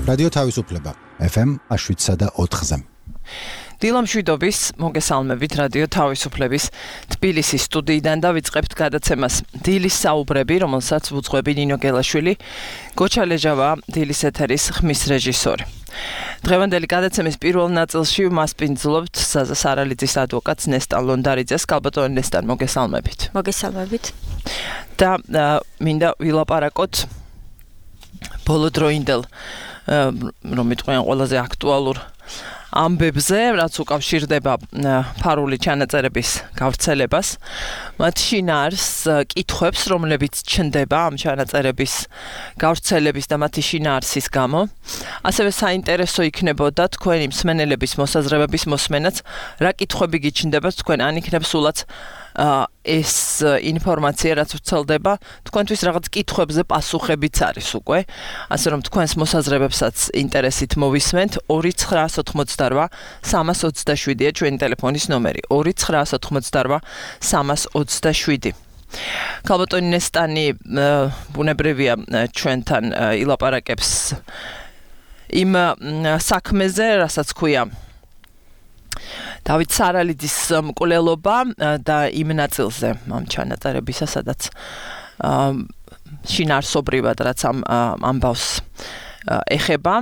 რადიო თავისუფლება FM 107.4-ზე. დილამშვიდობის მოგესალმებით რადიო თავისუფლების თბილისის სტუდიიდან და ვიწყებთ გადაცემას დილის საუბრები, რომელსაც ვუძღვები ნინო გელაშვილი, გოჩა ლეჟავა, დილის ეთერის ხმის რეჟისორი. დღევანდელი გადაცემის პირველ ნაწილში მას პინძლობთ საზა სარალიძის ადვოკატს ნესტან ლონდარიძეს. კალბატონ ნესტან, მოგესალმებით. მოგესალმებით. და მინდა ვილაპარაკოთ ბოლოდროინდელ რომ მიტყვიან ყველაზე აქტუალურ ამბებზე, რაც უკავშირდება ფარული ჩანაწერების გავრცელებას, მათ შინაარს კითხვებს, რომლებიც ჩნდება ამ ჩანაწერების გავრცელების და მათი შინაარსის გამო. ასევე საინტერესო იქნებოდა თქვენი მსმენელების მოსაზრებების მოსმენაც, რა კითხვები გიჩნდებათ თქვენ, ან იქნებ სულაც ეს ინფორმაცია, რაც ვრცელდება, თქვენთვის რაღაც კითხვებზე პასუხებიც არის უკვე. ასე რომ თქვენს მოსაზრებებსაც ინტერესით მოვისმენთ. 2988 327-ია ჩვენი ტელეფონის ნომერი. 2988 327. კალბატონი ნესტანი ბუნებრივია ჩვენთან ილაპარაკებს იმ საქმეზე, რასაც ქვია დავით სარალიძის მკვლელობა და იმ ნაწილზე ამ ჩანაწერებისა, სადაც შინაარსობრივად რაც ამ ამბავს ეხება.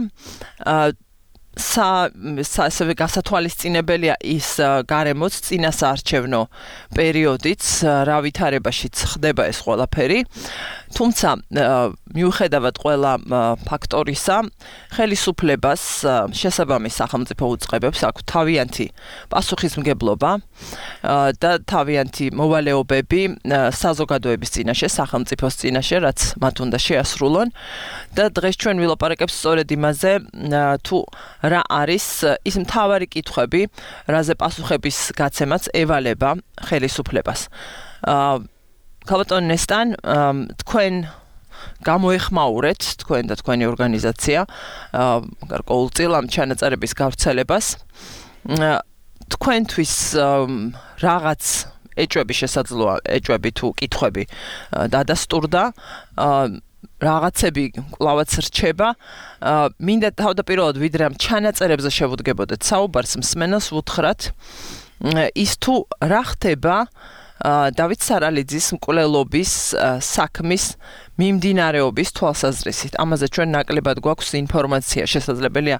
ასევე გასათვალისწინებელია ის გარემოც წინასაარჩევნო პერიოდიც, რა ვითარებაშიც ხდება ეს ყველაფერი. თუმცა მიუხედავად ყველა ფაქტორისა, ხელისუფლებას შესაბამის სახელმწიფო უწყებებს აქვს თავიანთი პასუხისმგებლობა და თავიანთი მოვალეობები საზოგადოების წინაშე, სახელმწიფოს წინაშე, რაც მათ უნდა შეასრულონ. და დღეს ჩვენ ვილაპარაკებთ სწორედ იმაზე, თუ რა არის ის მთავარი კითხვები, რაზე პასუხების გაცემაც ევალება ხელისუფლებას. კალბატონ ნესტან, თქვენ გამოეხმაურეთ, თქვენ და თქვენი ორგანიზაცია გარკვეულწილ ამ ჩანაწერების გავრცელებას. თქვენთვის რაღაც ეჭვები შესაძლოა, ეჭვები თუ კითხვები დადასტურდა, რაღაცები კლავაც რჩება. მინდა თავდაპირველად ვიდრე ამ ჩანაწერებზე შევუდგებოდეთ საუბარს, მსმენელს ვუთხრათ ის თუ რა ხდება დავით სარალიძის მკვლელობის საქმის მიმდინარეობის თვალსაზრისით. ამაზე ჩვენ ნაკლებად გვაქვს ინფორმაცია, შესაძლებელია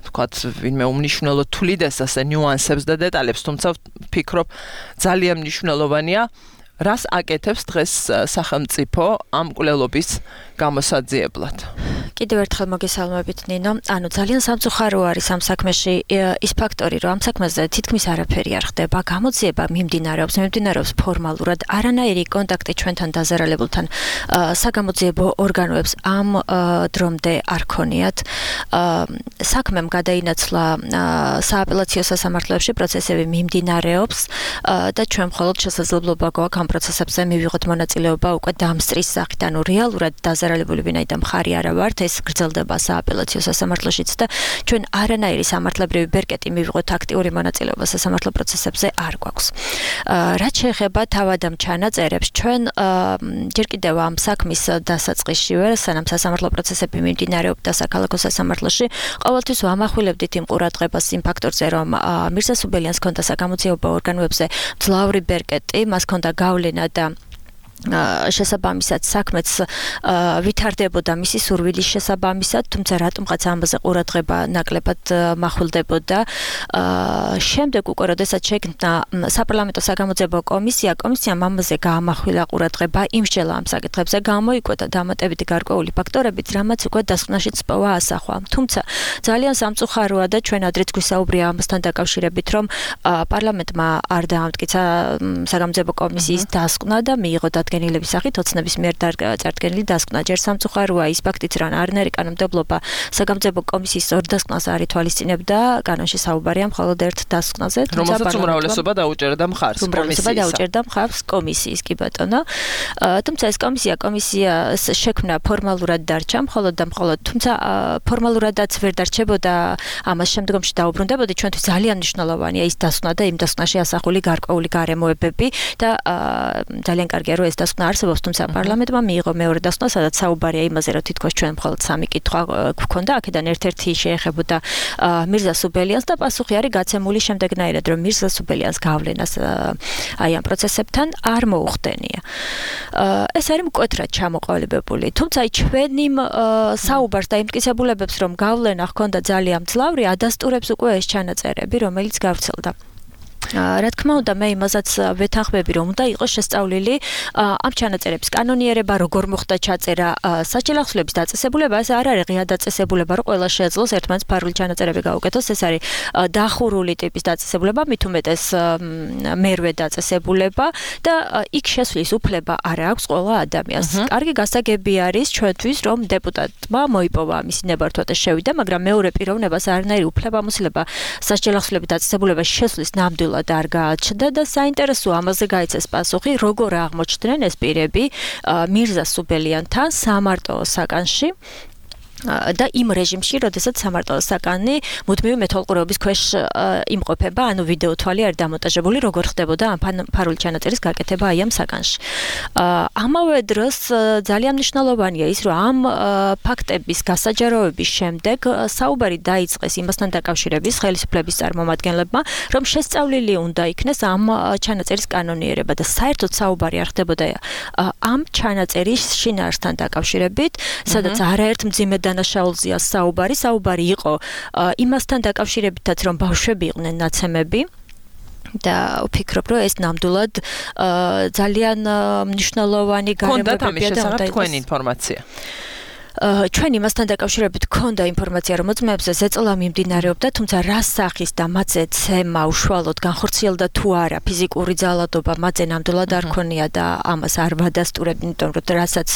თქვათ ვინმე უმნიშვნელოდ თვლიდეს ასე ნიუანსებს და დეტალებს, თუმცა ვფიქრობ ძალიან მნიშვნელოვანია რას აკეთებს დღეს სახელმწიფო ამ მკვლელობის გამოსაძიებლად. კიდევ ერთხელ მოგესალმებით ნინო. ანუ ძალიან სამწუხარო არის ამ საქმეში ის ფაქტორი, რომ ამ საქმეზე თითქმის არაფერი არ ხდება, გამოძიება მიმდინარეობს ფორმალურად, არანაირი კონტაქტი ჩვენთან დაზარალებულთან საგამოძიებო ორგანოებს ამ დრომდე არ ქონიათ. საქმემ გადაინაცვლა სააპელაციო სასამართლოებში, პროცესები მიმდინარეობს და ჩვენ მხოლოდ შესაძლებლობა გვაქვს ამ პროცესებზე მივიღოთ მონაწილეობა უკვე დამსწრის სახით, ანუ რეალურად დაზარალებული ვინაიდან მხარი არა ვართ, ეს გრძელდება სააპელაციო სასამართლოშიც და ჩვენ არანაირი სამართლებრივი ბერკეტი მივიღოთ აქტიური მონაწილეობა სასამართლო პროცესებზე არ გვაქვს. რაც შეეხება თავად ამ ჩანაწერებს, ჩვენ ჯერ კიდევ ამ საქმის დასაწყისშივე, სანამ სასამართლო პროცესები მიმდინარეობდა საქალაქო სასამართლოში, ყოველთვის ვამახვილებდით იმ ყურადღებას იმ ფაქტორზე, რომ მირზა სუბელიანს ჰქონდა საგამოძიებო ორგანოებზე მძლავრი ბერკეტი, მას ჰქონდა გავლენა და შესაბამისად საქმეც ვითარდებოდა მისი სურვილის შესაბამისად, თუმცა რატომღაც ამაზე ყურადღება ნაკლებად მახვილდებოდა. შემდეგ უკვე როდესაც შექმნა საპარლამენტო საგამოძიებო კომისიამ ამაზე გაამახვილა ყურადღება, იმსჯელა ამ საკითხებზე, გამოიკვეთა დამატებითი გარკვეული ფაქტორებით, რამაც უკვე დასკვნაშიც პოვა ასახვა. თუმცა ძალიან სამწუხაროა და ჩვენ ადრეც გვისაუბრია ამასთან დაკავშირებით, რომ პარლამენტმა არ დაამტკიცა საგამოძიებო კომისიის დასკვნა და მიიღო დადგენილების სახით ოცნების მიერ წარდგენილი დასკვნა. ჯერ სამწუხაროა ის ფაქტიც, რომ არანაირი კანონმდებლობა საგამოძიებო კომისიის ორ დასკვნას არ ითვალისწინებდა, კანონში საუბარია მხოლოდ ერთ დასკვნაზე, რომელსაც უმრავლესობა დაუჭერდა მხარს კომისიის, კი ბატონო. თუმცა ეს კომისიას შექმნა ფორმალურად დარჩა, მხოლოდ და მხოლოდ, თუმცა ფორმალურადაც ვერ დარჩებოდა, ამას შემდგომში დაუბრუნდებოდა, ჩვენთვის ძალიან მნიშვნელოვანია ის დასკვნა და იმ დასკვნაში ასახული გარკვეული გარემოებები და ძალიან კარგია, რომ ეს დასკვნა არსებობს, თუმცა პარლამენტმა მიიღო მეორე დასკვნა, სადაც საუბარია იმაზე, რომ თითქოს ჩვენ მხოლოდ 3 კითხვა გვქონდა, აქედან ერთ-ერთი შეეხებოდა მირზა სუბელიანს და პასუხი არის გაცემული შემდეგნაირად, რომ მირზა სუბელიანს გავლენას აი ამ პროცესებთან არ მოუხდენია. ეს არის მკვეთრად ჩამოყალიბებული, თუმცა ჩვენი საუბარს და იმტკიცებულებებს, რომ გავლენა ჰქონდა ძალიან მძლავრი, ადასტურებს უკვე ეს ჩანაწერები, რომელიც გავრცელდა. რა თქმა უნდა, მე იმასაც ვეთანხმები, რომ უნდა იყოს შესწავლილი ამ ჩანაწერების კანონიერება, როგორ მოხდა ჩაწერა, საჭირო ახსნების დაწესებულება, ეს არ არის ღია დაწესებულება, რომ ყველა შეეძლოს ერთმანეთს ფარული ჩანაწერები გაუკეთოს, ეს არის დახურული ტიპის დაწესებულება, მით უმეტეს მერვე დაწესებულება და იქ შესვლის უფლება არ აქვს ყველა ადამიანს. კარგი გასაგები არის ჩვენთვის, რომ დეპუტატმა მოიპოვა მისი ნებართვა და შევიდა, მაგრამ მეორე პიროვნებას არანაირი უფლებამოსილება საჭირო ახსნების დაწესებულებას შესვლის ნამდვილად არ გააჩნდა და საინტერესო ამაზე გაიცეს პასუხი, როგორ აღმოჩნდნენ ეს პირები მირზა სუბელიანთან სამარტო საკანში და იმ რეჟიმში, როდესაც სამარტო საკანი მუდმივი მეთვალყურეობის ქვეშ იმყოფება, ანუ ვიდეო თვალი არის დამონტაჟებული, როგორ ხდებოდა ამ ფარული ჩანაწერის გაკეთება აი ამ საკანში. ამავე დროს ძალიან მნიშვნელოვანია ის, რომ ამ ფაქტების გასაჯაროების შემდეგ საუბარი დაიწყეს იმასთან დაკავშირების ხელისუფლების წარმომადგენლებმა, რომ შესწავლილი უნდა იქნეს ამ ჩანაწერის კანონიერება და საერთოდ საუბარი არ ხდებოდა ამ ჩანაწერის შინაარსთან დაკავშირებით, სადაც არაერთ მძიმე დანაშაულზეა საუბარი იყო იმასთან დაკავშირებითაც, რომ ბავშვები იყვნენ ნაცემები და ვფიქრობ, რომ ეს ნამდვილად ძალიან მნიშვნელოვანი გარემოებებია და უნდა თქვენი ინფორმაცია. ჩვენ იმასთან დაკავშირებით გქონდა ინფორმაცია, რომ მოწმეებზე ზეწოლა მიმდინარეობდა, თუმცა რა სახის და მათზე ცემა უშუალოდ განხორციელდა თუ არა, ფიზიკური ძალადობა მათზე ნამდვილად არ ქონია და ამას არ ვადასტურებდი, იმიტომ რომ რასაც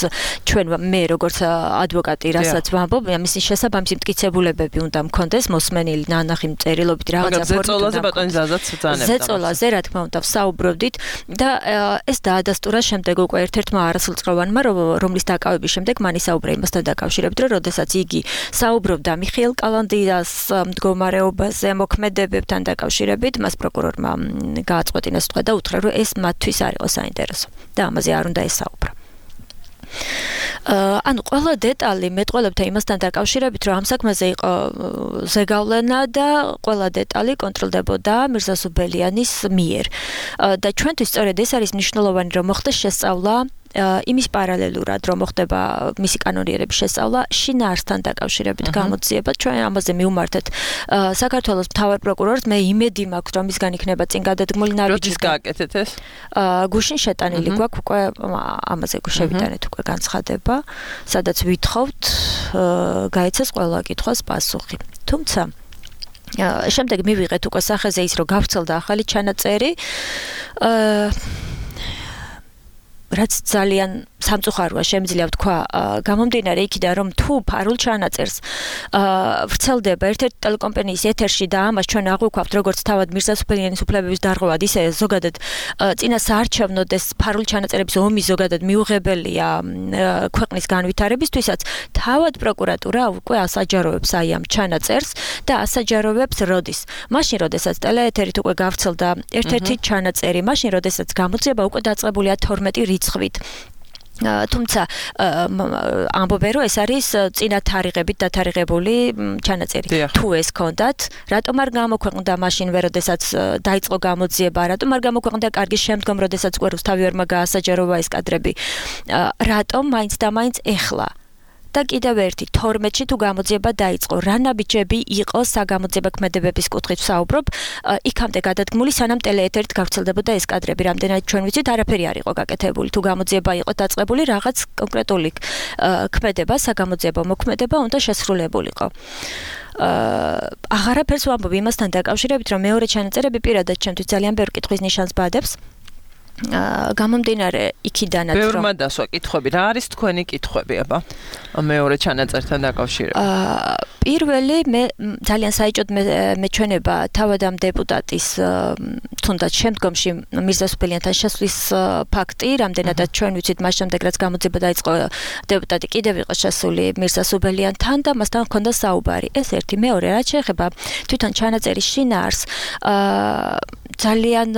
ჩვენ მე როგორც ადვოკატი რასაც ვამბობ, მისი შესაბამისი მტკიცებულებები უნდა მქონდეს მოსმენილი ნანახი წერილობით რაღაცა ფორმით. ზეწოლაზე ბატონი ზაზაც ბრძანებდა. ზეწოლაზე რა თქმა უნდა ვსაუბრობდით და ეს დაადასტურა შემდეგ უკვე ერთ-ერთმა არასრულწყოვანმა, რომლის დაკავების შემდეგ მან ისაუბრა იმასთან დაკავშირებით, რომ როდესაც იგი საუბრობდა მიხეილ კალანდიას მდგომარეობაზე, მოქმედებებთან დაკავშირებით, მას პროკურორმა გააწყვეტინა სიტყვა და უთხრა, რომ ეს მათთვის არ იყო საინტერესო და ამაზე არ უნდა ესაუბრა. ანუ ყველა დეტალი მეტყველებთან იმასთან დაკავშირებით, რომ ამ საქმეზე იყო ზეგავლენა და ყველა დეტალი კონტროლდებოდა მირზა სუბელიანის მიერ. და ჩვენთვის სწორედ ეს არის მნიშვნელოვანი, რომ მოხდეს შესწავლა იმის პარალელურად, რომ მოხდება მისი კანონიერების შესწავლა შინაარსთან დაკავშირებით გამოძიება. ჩვენ ამაზე მივმართეთ საქართველოს მთავარ პროკურორს, მე იმედი მაქვს, რომ მისგან იქნება წინ გადადგმული ნაბიჯი. როდის გააკეთეთ ეს? გუშინ შეტანილი გვაქვს უკვე ამაზე შევიტანეთ უკვე განცხადება, სადაც ვითხოვთ გაიცეს ყველა კითხვას პასუხი. თუმცა შემდეგ მივიღეთ უკვე სახეზე ის, რომ გავრცელდა ახალი ჩანაწერი, რაც ძალიან სამწუხაროა შემიძლია ვთქვა, გამომდინარე იქიდან, რომ თუ ფარულ ჩანაწერს ვრცელდება ერთ-ერთი ტელეკომპანიის ეთერში და ამას ჩვენ აღვიქვავთ როგორც თავად მირზა სუბელიანის უფლებების დარღვევად, ისე ზოგადად წინა საარჩევნოდ ეს ფარული ჩანაწერების ომი ზოგადად მიუღებელია ქვეყნის განვითარებისთვისაც, თავად პროკურატურა უკვე ასაჯაროვებს აი ამ ჩანაწერს და ასაჯაროვებს როდის? მაშინ, როდესაც ტელეეთერით უკვე გავრცელდა ერთ-ერთი ჩანაწერი, მაშინ, როდესაც გამოძიება უკვე დაწყებულია 12 რიცხვით. თუმცა ამბობენ, რომ ეს არის წინა თარიღებით დათარიღებული ჩანაწერი. თუ ეს ჰქონდათ, რატომ არ გამოქვეყნდა მაშინ, როდესაც დაიწყო გამოძიება, რატომ არ გამოქვეყნდა კარგი შემდგომ, როდესაც უკვე რუსთავი ვერმა გაასაჯაროვა ეს კადრები? რატომ მაინც და მაინც ეხლა? და კიდევ ერთი 12-ში თუ გამოძიება დაიწყო, რა ნაბიჯები იყო საგამოძიება ქმედებების კუთხით ვსაუბრობ, იქამდე გადადგმული, სანამ ტელეეთერით გავრცელდებოდა ეს კადრები, რამდენად ჩვენ ვიცით, არაფერი არ იყო გაკეთებული, თუ გამოძიება იყო დაწყებული, რაღაც კონკრეტული ქმედება, საგამოძიებო მოქმედება უნდა შესრულებულიყო. აღარაფერს ვამბობ იმასთან დაკავშირებით, რომ მეორე ჩანაწერები პირადად ჩემთვის ძალიან ბევრ კითხვის ნიშანს ბადებს. გამომდინარე იქიდანაც, რომ ბევრმა დასვა კითხვები, რა არის თქვენი კითხვები, აბა? მეორე ჩანაწერთან დაკავშირებით? პირველი მე ძალიან საეჭოდ მეჩვენება თავადამ დეპუტატის თუნდაც შემდგომში მირზასუბელიანთან შესვლის ფაქტი, რამდენადაც ჩვენ ვიცით მას შემდეგ რაც გამოძიება დაიწყო დეპუტატი კიდევ იყო შესული მირზასუბელიანთან და მასთან ჰქონდა საუბარი. ეს ერთი, მეორე რაც შეეხება თვითონ ჩანაწერის შინაარსს, ძალიან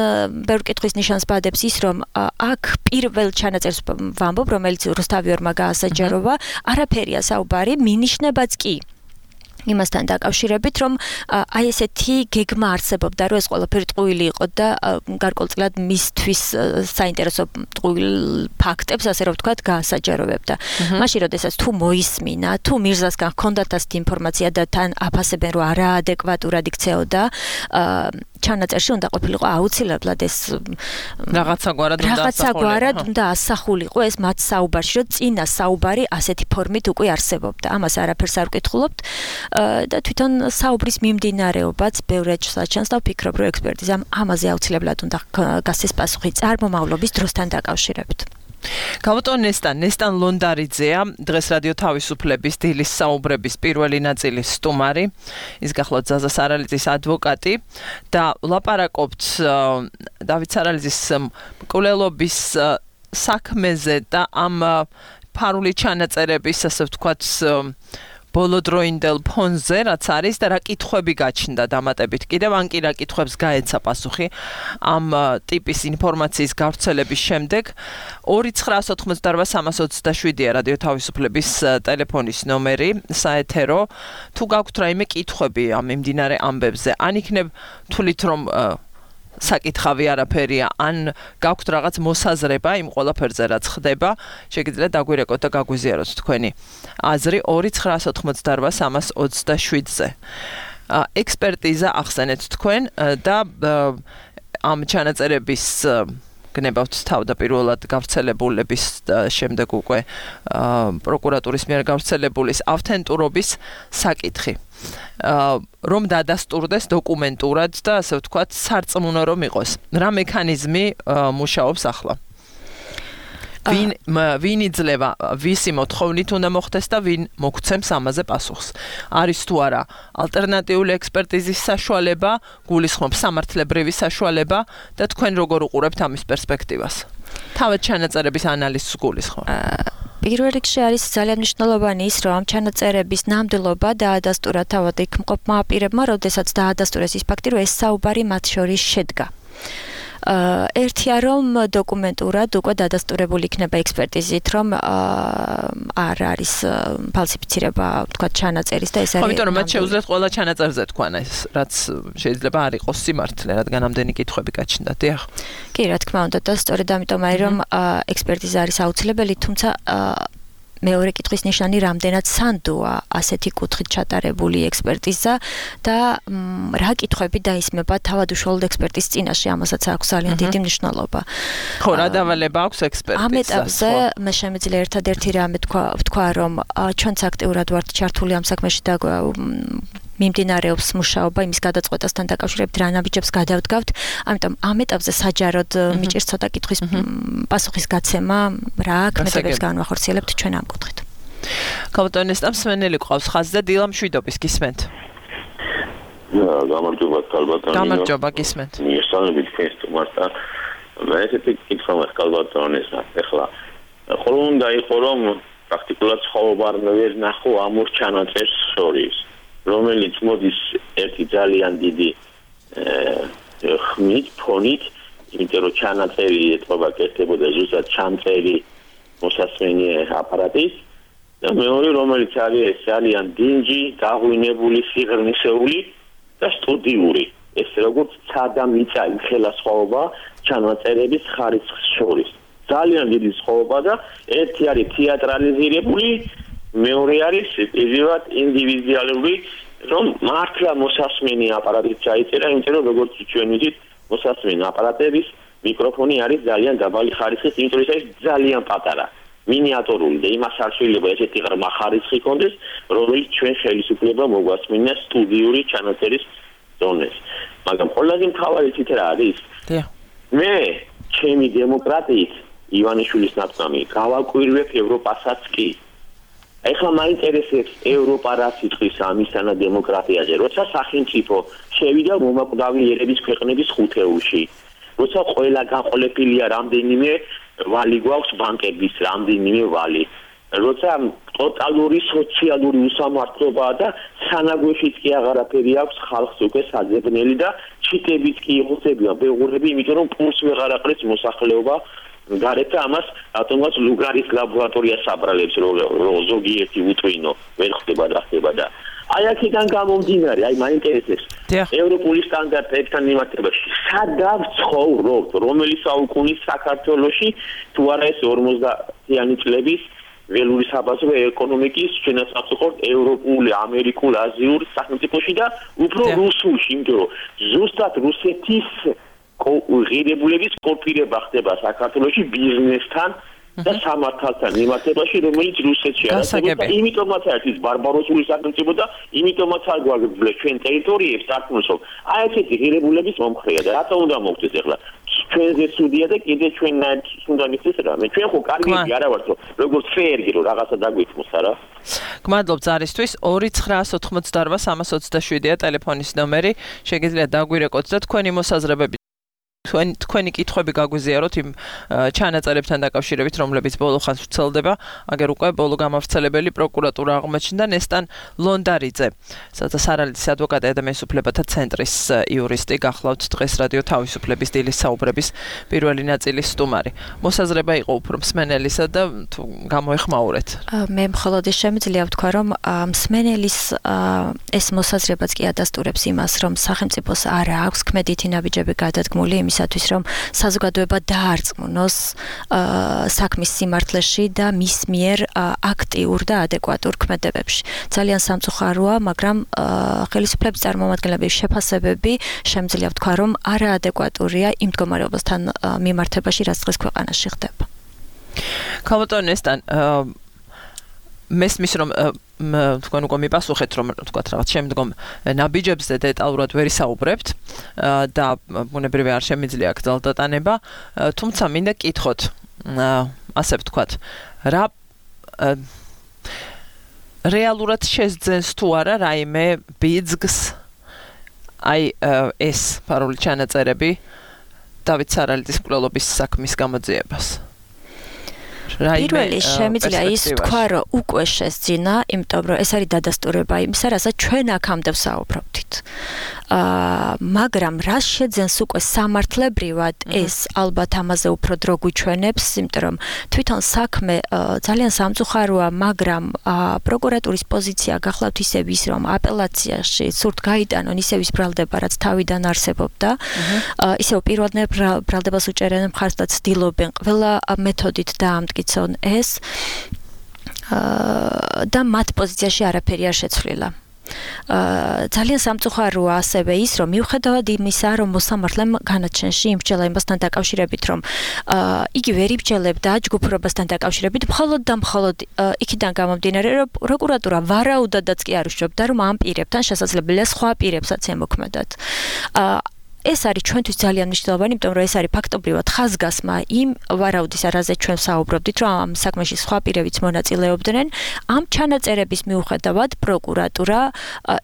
ბევრ კითხვის ნიშანს ბადებს ის, რომ აქ პირველ ჩანაწერს ვამბობ, რომელიც რუსთავიორმა გაასაჯაროვა, არაფერია საუბარი, მინიშნებაც კი იმასთან დაკავშირებით, რომ აი ესეთი გეგმა არსებობდა, რომ ეს ყველაფერი ტყუილი იყო და გარკვეულწილად მისთვის საინტერესო ტყუილ ფაქტებს, ასე რომ ვთქვათ, გაასაჯაროვებდა. მაშინ, როდესაც თუ მოისმინა, თუ მირზასგან ჰქონდათ ასეთი ინფორმაცია და თან აფასებენ, რომ არაადეკვატურად იქცეოდა, ჩანაწერში უნდა ყოფილიყო აუცილებლად ეს რაღაცაგვარად უნდა ასახულიყო ეს მათ საუბარში, რომ წინა საუბარი ასეთი ფორმით უკვე არსებობდა. ამას არაფერს არ ვკითხულობთ და თვითონ საუბრის მიმდინარეობაც ბევრად საჩანს და ვფიქრობ, რომ ექსპერტიზამ ამაზე აუცილებლად უნდა გასცეს პასუხი წარმომავლობის დროსთან დაკავშირებით. გავუტონ ნესტან ლონდარიძეა, დღეს რადიო თავისუფლების დილის საუბრების პირველი ნაწილის სტუმარი, ის გახლავთ ზაზა სარალიძის ადვოკატი და ვლაპარაკობთ დავით სარალიძის მკვლელობის საქმეზე და ამ ფარული ჩანაწერების, ასე ვთქვათ, ბოლოდროინდელ ფონზე, რაც არის და რა კითხვები გაჩნდა დამატებით. კიდევ ან კი რა კითხვებს გაეცა პასუხი ამ ტიპის ინფორმაციის გავრცელების შემდეგ. 2988327-ია რადიო თავისუფლების ტელეფონის ნომერი, საეთერო. თუ გაქვთ რაიმე კითხვები ამ მიმდინარე ამბებზე, ან იქნებ თვლით რომ საკითხავი არაფერია, ან გაქვთ რაღაც მოსაზრება იმ ყველაფერზე რაც ხდება, შეგიძლიათ დაგვირეკოთ და გაგვიზიაროთ თქვენი აზრი 2988327-ზე. ექსპერტიზა ახსენეთ თქვენ და ამ ჩანაწერების გნებავთ თავდაპირველად გავრცელებულების შემდეგ უკვე პროკურატურის მიერ გავრცელებულის ავთენტურობის საკითხი. რომ დადასტურდეს დოკუმენტურად და ასე ვთქვათ სარწმუნო რომ იყოს. რა მექანიზმი მუშაობს ახლა? ვინ იძლევა, ვისი მოთხოვნით უნდა მოხდეს და ვინ მოგცემს ამაზე პასუხს? არის თუ არა ალტერნატიული ექსპერტიზის საშუალება, გულისხმობ სამართლებრივი საშუალება და თქვენ როგორ უყურებთ ამის პერსპექტივას? თავად ჩანაწერების ანალიზს გულისხმობ. პირველ რიგში არის ძალიან მნიშვნელოვანი ის, რომ ამ ჩანაწერების ნამდვილობა დაადასტურა თავად იქ მყოფმა პირებმა, როდესაც დაადასტურეს ის ფაქტი, რომ ეს საუბარი მათ შორის შედგა. ერთია რომ დოკუმენტურად უკვე დადასტურებული იქნება ექსპერტიზით, რომ არ არის ფალსიფიცირება, თქვა ჩანაწერის და ეს არის. იმიტომ რომ მათ შეუძლიათ ყველა ჩანაწერზე თქვან ეს, რაც შეიძლება არ იყოს სიმართლე, რადგან ამდენი კითხვები გაჩნდათ, დიახ. კი, რა თქმა უნდა, და სწორედ ამიტომ არის რომ ექსპერტიზა არის აუცილებელი, თუმცა მეორე კითხვის ნიშანი რამდენად სანდოა ასეთი კუთხით ჩატარებული ექსპერტიზა და რა კითხვები დაისმება თავად უშუალოდ ექსპერტის წინაშე, ამასაც აქვს ძალიან დიდი მნიშვნელობა. ხო, რა დავალება აქვს ექსპერტიზას? ამ ეტაპზე მე შემიძლია ერთადერთი რამე ვთქვა, რომ ჩვენც აქტიურად ვართ ჩართული ამ საქმეში და მიმდინარეობს მუშაობა იმის გადაწყვეტასთან დაკავშირებით, რა ნაბიჯებს გადავდგავთ. ამიტომ ამ ეტაპზე საჯაროდ მიჭირს ცოტა კითხვის პასუხის გაცემა, რა ქმედებებს განვახორციელებთ ჩვენ ამ კუთხით. გავუტონესტამ სვენელი ყავს ხაზზე, დილა მშვიდობის გისმენთ. გამარჯობა კალბატონი. გამარჯობა გისმენთ. მისალებით თქვენს სტუმართან. მე ესეთი კითხვა მაქვს კალბატონესა. ეხლა ხოლმე უნდა იყო რომ პრაქტიკულად ცხოვრება არ ვერ ნახო ამ ორ ჩანაწერს შორის. რომელიც მოდის ერთი ძალიან დიდი ხმით, ფონით, იმიტომ რომ ჩანაწერი ეთყობა კეთდებოდა ზუსტად ჩამწერი მოსასმენი აპარატის და მეორე რომელიც არის ძალიან დინჯი, გაღვინებული, სიღრმისეული და სტუდიური. ეს როგორც ცადა მიწა იხელა სხვაობა ჩანაწერების ხარისხის შორის. ძალიან დიდი სხვაობა და ერთი არის თეატრალიზირებული, მეორე არის პირდაპირ ინდივიდუალური, რომ მართლა მოსასმენი აპარატით ჩაიწერა, იმიტომ რომ როგორც ჩვენ ვიცით, მოსასმენი აპარატების მიკროფონი არის ძალიან დაბალი ხარისხის, იმიტომ რომ ეს ძალიან პატარა, მინიატურული და იმას არ შეიძლება ესეთი ღრმა ხარისხი კონდეს, რომელიც ჩვენ ხელისუფლება მოგვასმინა სტუდიური ჩანაწერის ზონეს. მაგრამ ყველაზე მთავარი თვით რა არის? მე ჩემი დემოკრატიით ივანიშვილის ნაცვლად გავაკვირვებ ევროპასაც კი. ეხლა მაინტერესებს ევროპა რა სიტყვის ამისანა დემოკრატიაზე, როცა სახელმწიფო შევიდა მომაკვდავი ერების ქვეყნების ხუთეულში. როცა ყველა გაყოლებულია რამდენიმე ვალი გვაქვს ბანკების რამდენიმე ვალი. როცა ტოტალური სოციალური უსამართლობაა და სანაგვეშიც კი აღარაფერი აქვს ხალხს უკვე საძებნელი და ჩიტებიც კი იხოცებიან ბეღურები, იმიტომ რომ პულს ვეღარ აყრეს მოსახლეობა გარეთ და ამას რატომაც ლუგარის ლაბორატორია საბრალებს რომ ზოგიერთი უტვინო ვერ ხდება და ხდება და აი აქედან გამომდინარე, აი მაინტერესებს ევროპული სტანდარტებთან მიმართებაში სადავ ცხოვრობთ, რომელი საუკუნის საქართველოში თუ არა ეს 50-იანი წლების ველური საბაზრო ეკონომიკის ჩვენაც ვახსოვთ ევროპული, ამერიკულ, აზიურ სახელმწიფოში და უფრო რუსულში, იმიტომ რომ ზუსტად რუსეთის ღირებულების კოპირება ხდება საქართველოში ბიზნესთან და სამართალთან მიმართებაში, რომელიც რუსეთში არსებობს. იმიტომაც არის ბარბაროსული სახელმწიფო და იმიტომაც არ გვაგვიძლებს ჩვენ ტერიტორიებს თარგმნოს, რომ აი ესეთი ღირებულების მომხრეა და რატომ უნდა მოვხდეს ახლა? ჩვენზე სუდია და კიდე ჩვენნაირ უნდა მისცეს რამე. ჩვენ ხო კარგები არა ვართ, რომ როგორც ფერგი რომ რაღაცა დაგვიქმოს, არა? გმადლობ ზარისთვის 2988327-ია ტელეფონის ნომერი. შეგიძლიათ დაგვირეკოთ და თქვენი მოსაზრებები თქვენი კითხვები გაგვიზიაროთ იმ ჩანაწერებთან დაკავშირებით, რომლებიც ბოლო ხანს ვრცელდება. აგერ უკვე ბოლო გამავრცელებელი პროკურატურა აღმოჩნდა ნესტან ლონდარიძე, სარალიძის ადვოკატი ადამიანის უფლებათა ცენტრის იურისტი. გახლავთ დღეს რადიო თავისუფლების დილის საუბრების პირველი ნაწილის სტუმარი. მოსაზრება იყო უფრო მსმენელისა და თუ გამოეხმაურეთ. მე მხოლოდ შემიძლია ვთქვა, რომ მსმენელის ეს მოსაზრებაც კი ადასტურებს იმას, რომ სახელმწიფოს არ აქვს ქმედითი ნაბიჯები გადადგმული იმისათვის, რომ საზოგადოება დაარწმუნოს საქმის სიმართლეში და მის მიერ აქტიურ და ადეკვატურ ქმედებებში. ძალიან სამწუხაროა, მაგრამ ხელისუფლების წარმომადგენლების შეფასებები შემიძლია ვთქვა, რომ არაადეკვატურია იმ მდგომარეობასთან მიმართებაში, რაც დღეს ქვეყანაში ხდება. ქალბატონ ნესტან, მესმის რომ თქვენ უკვე მიპასუხეთ, რომ თქვათ რაღაც შემდგომ ნაბიჯებზე დეტალურად ვერ ისაუბრებთ და ბუნებრივი არ შემიძლია გრძელდატანება, თუმცა მინდა კითხოთ, ასე ვთქვათ, რა რეალურად შესძენს თუ არა რაიმე ბიძგს აი ეს პარული ჩანაწერები დავით სარალიძის მკვლელობის საქმის გამოძიებას. პირველი შემიძლია ის თქვა, რომ უკვე შესძინა, იმიტომ რომ ეს არის დადასტურება იმისა, რასაც ჩვენ აქამდე ვსაუბრობთ. მაგრამ რა შეძენს უკვე სამართლებრივად ეს ალბათ ამაზე უფრო დრო გვიჩვენებს, იმიტომ რომ თვითონ საქმე ძალიან სამწუხაროა, მაგრამ პროკურატურის პოზიცია გახლავთ ისევ ის, რომ აპელაციაში სურთ გაიტანონ ისევ ის ბრალდება, რაც თავიდან არსებობდა, ისევ პირველდღე ბრალდებას უჭერენ მხარს და ცდილობენ ყველა მეთოდით დაამტკიცონ ეს და მათ პოზიციაში არაფერი არ შეცვლილა. ძალიან სამწუხაროა ასევე ის, რომ მიუხედავად იმისა, რომ მოსამართლემ განაჩენში იმსჯელა იმასთან დაკავშირებით, რომ იგი ვერ იბჯელებდა ჯგუფურობასთან დაკავშირებით, მხოლოდ და მხოლოდ იქიდან გამომდინარე, რომ პროკურატურა ვარაუდადაც კი არ უშჯობდა, რომ ამ პირებთან შესაძლებელია სხვა პირებსაც ემოქმედათ. ეს არის ჩვენთვის ძალიან მნიშვნელოვანი, იმიტომ რომ ეს არის ფაქტობრივად ხაზგასმა იმ ვარაუდის, რაზეც ჩვენ საუბრობდით, რომ ამ საქმეში სხვა პირებიც მონაწილეობდნენ. ამ ჩანაწერების მიუხედავად პროკურატურა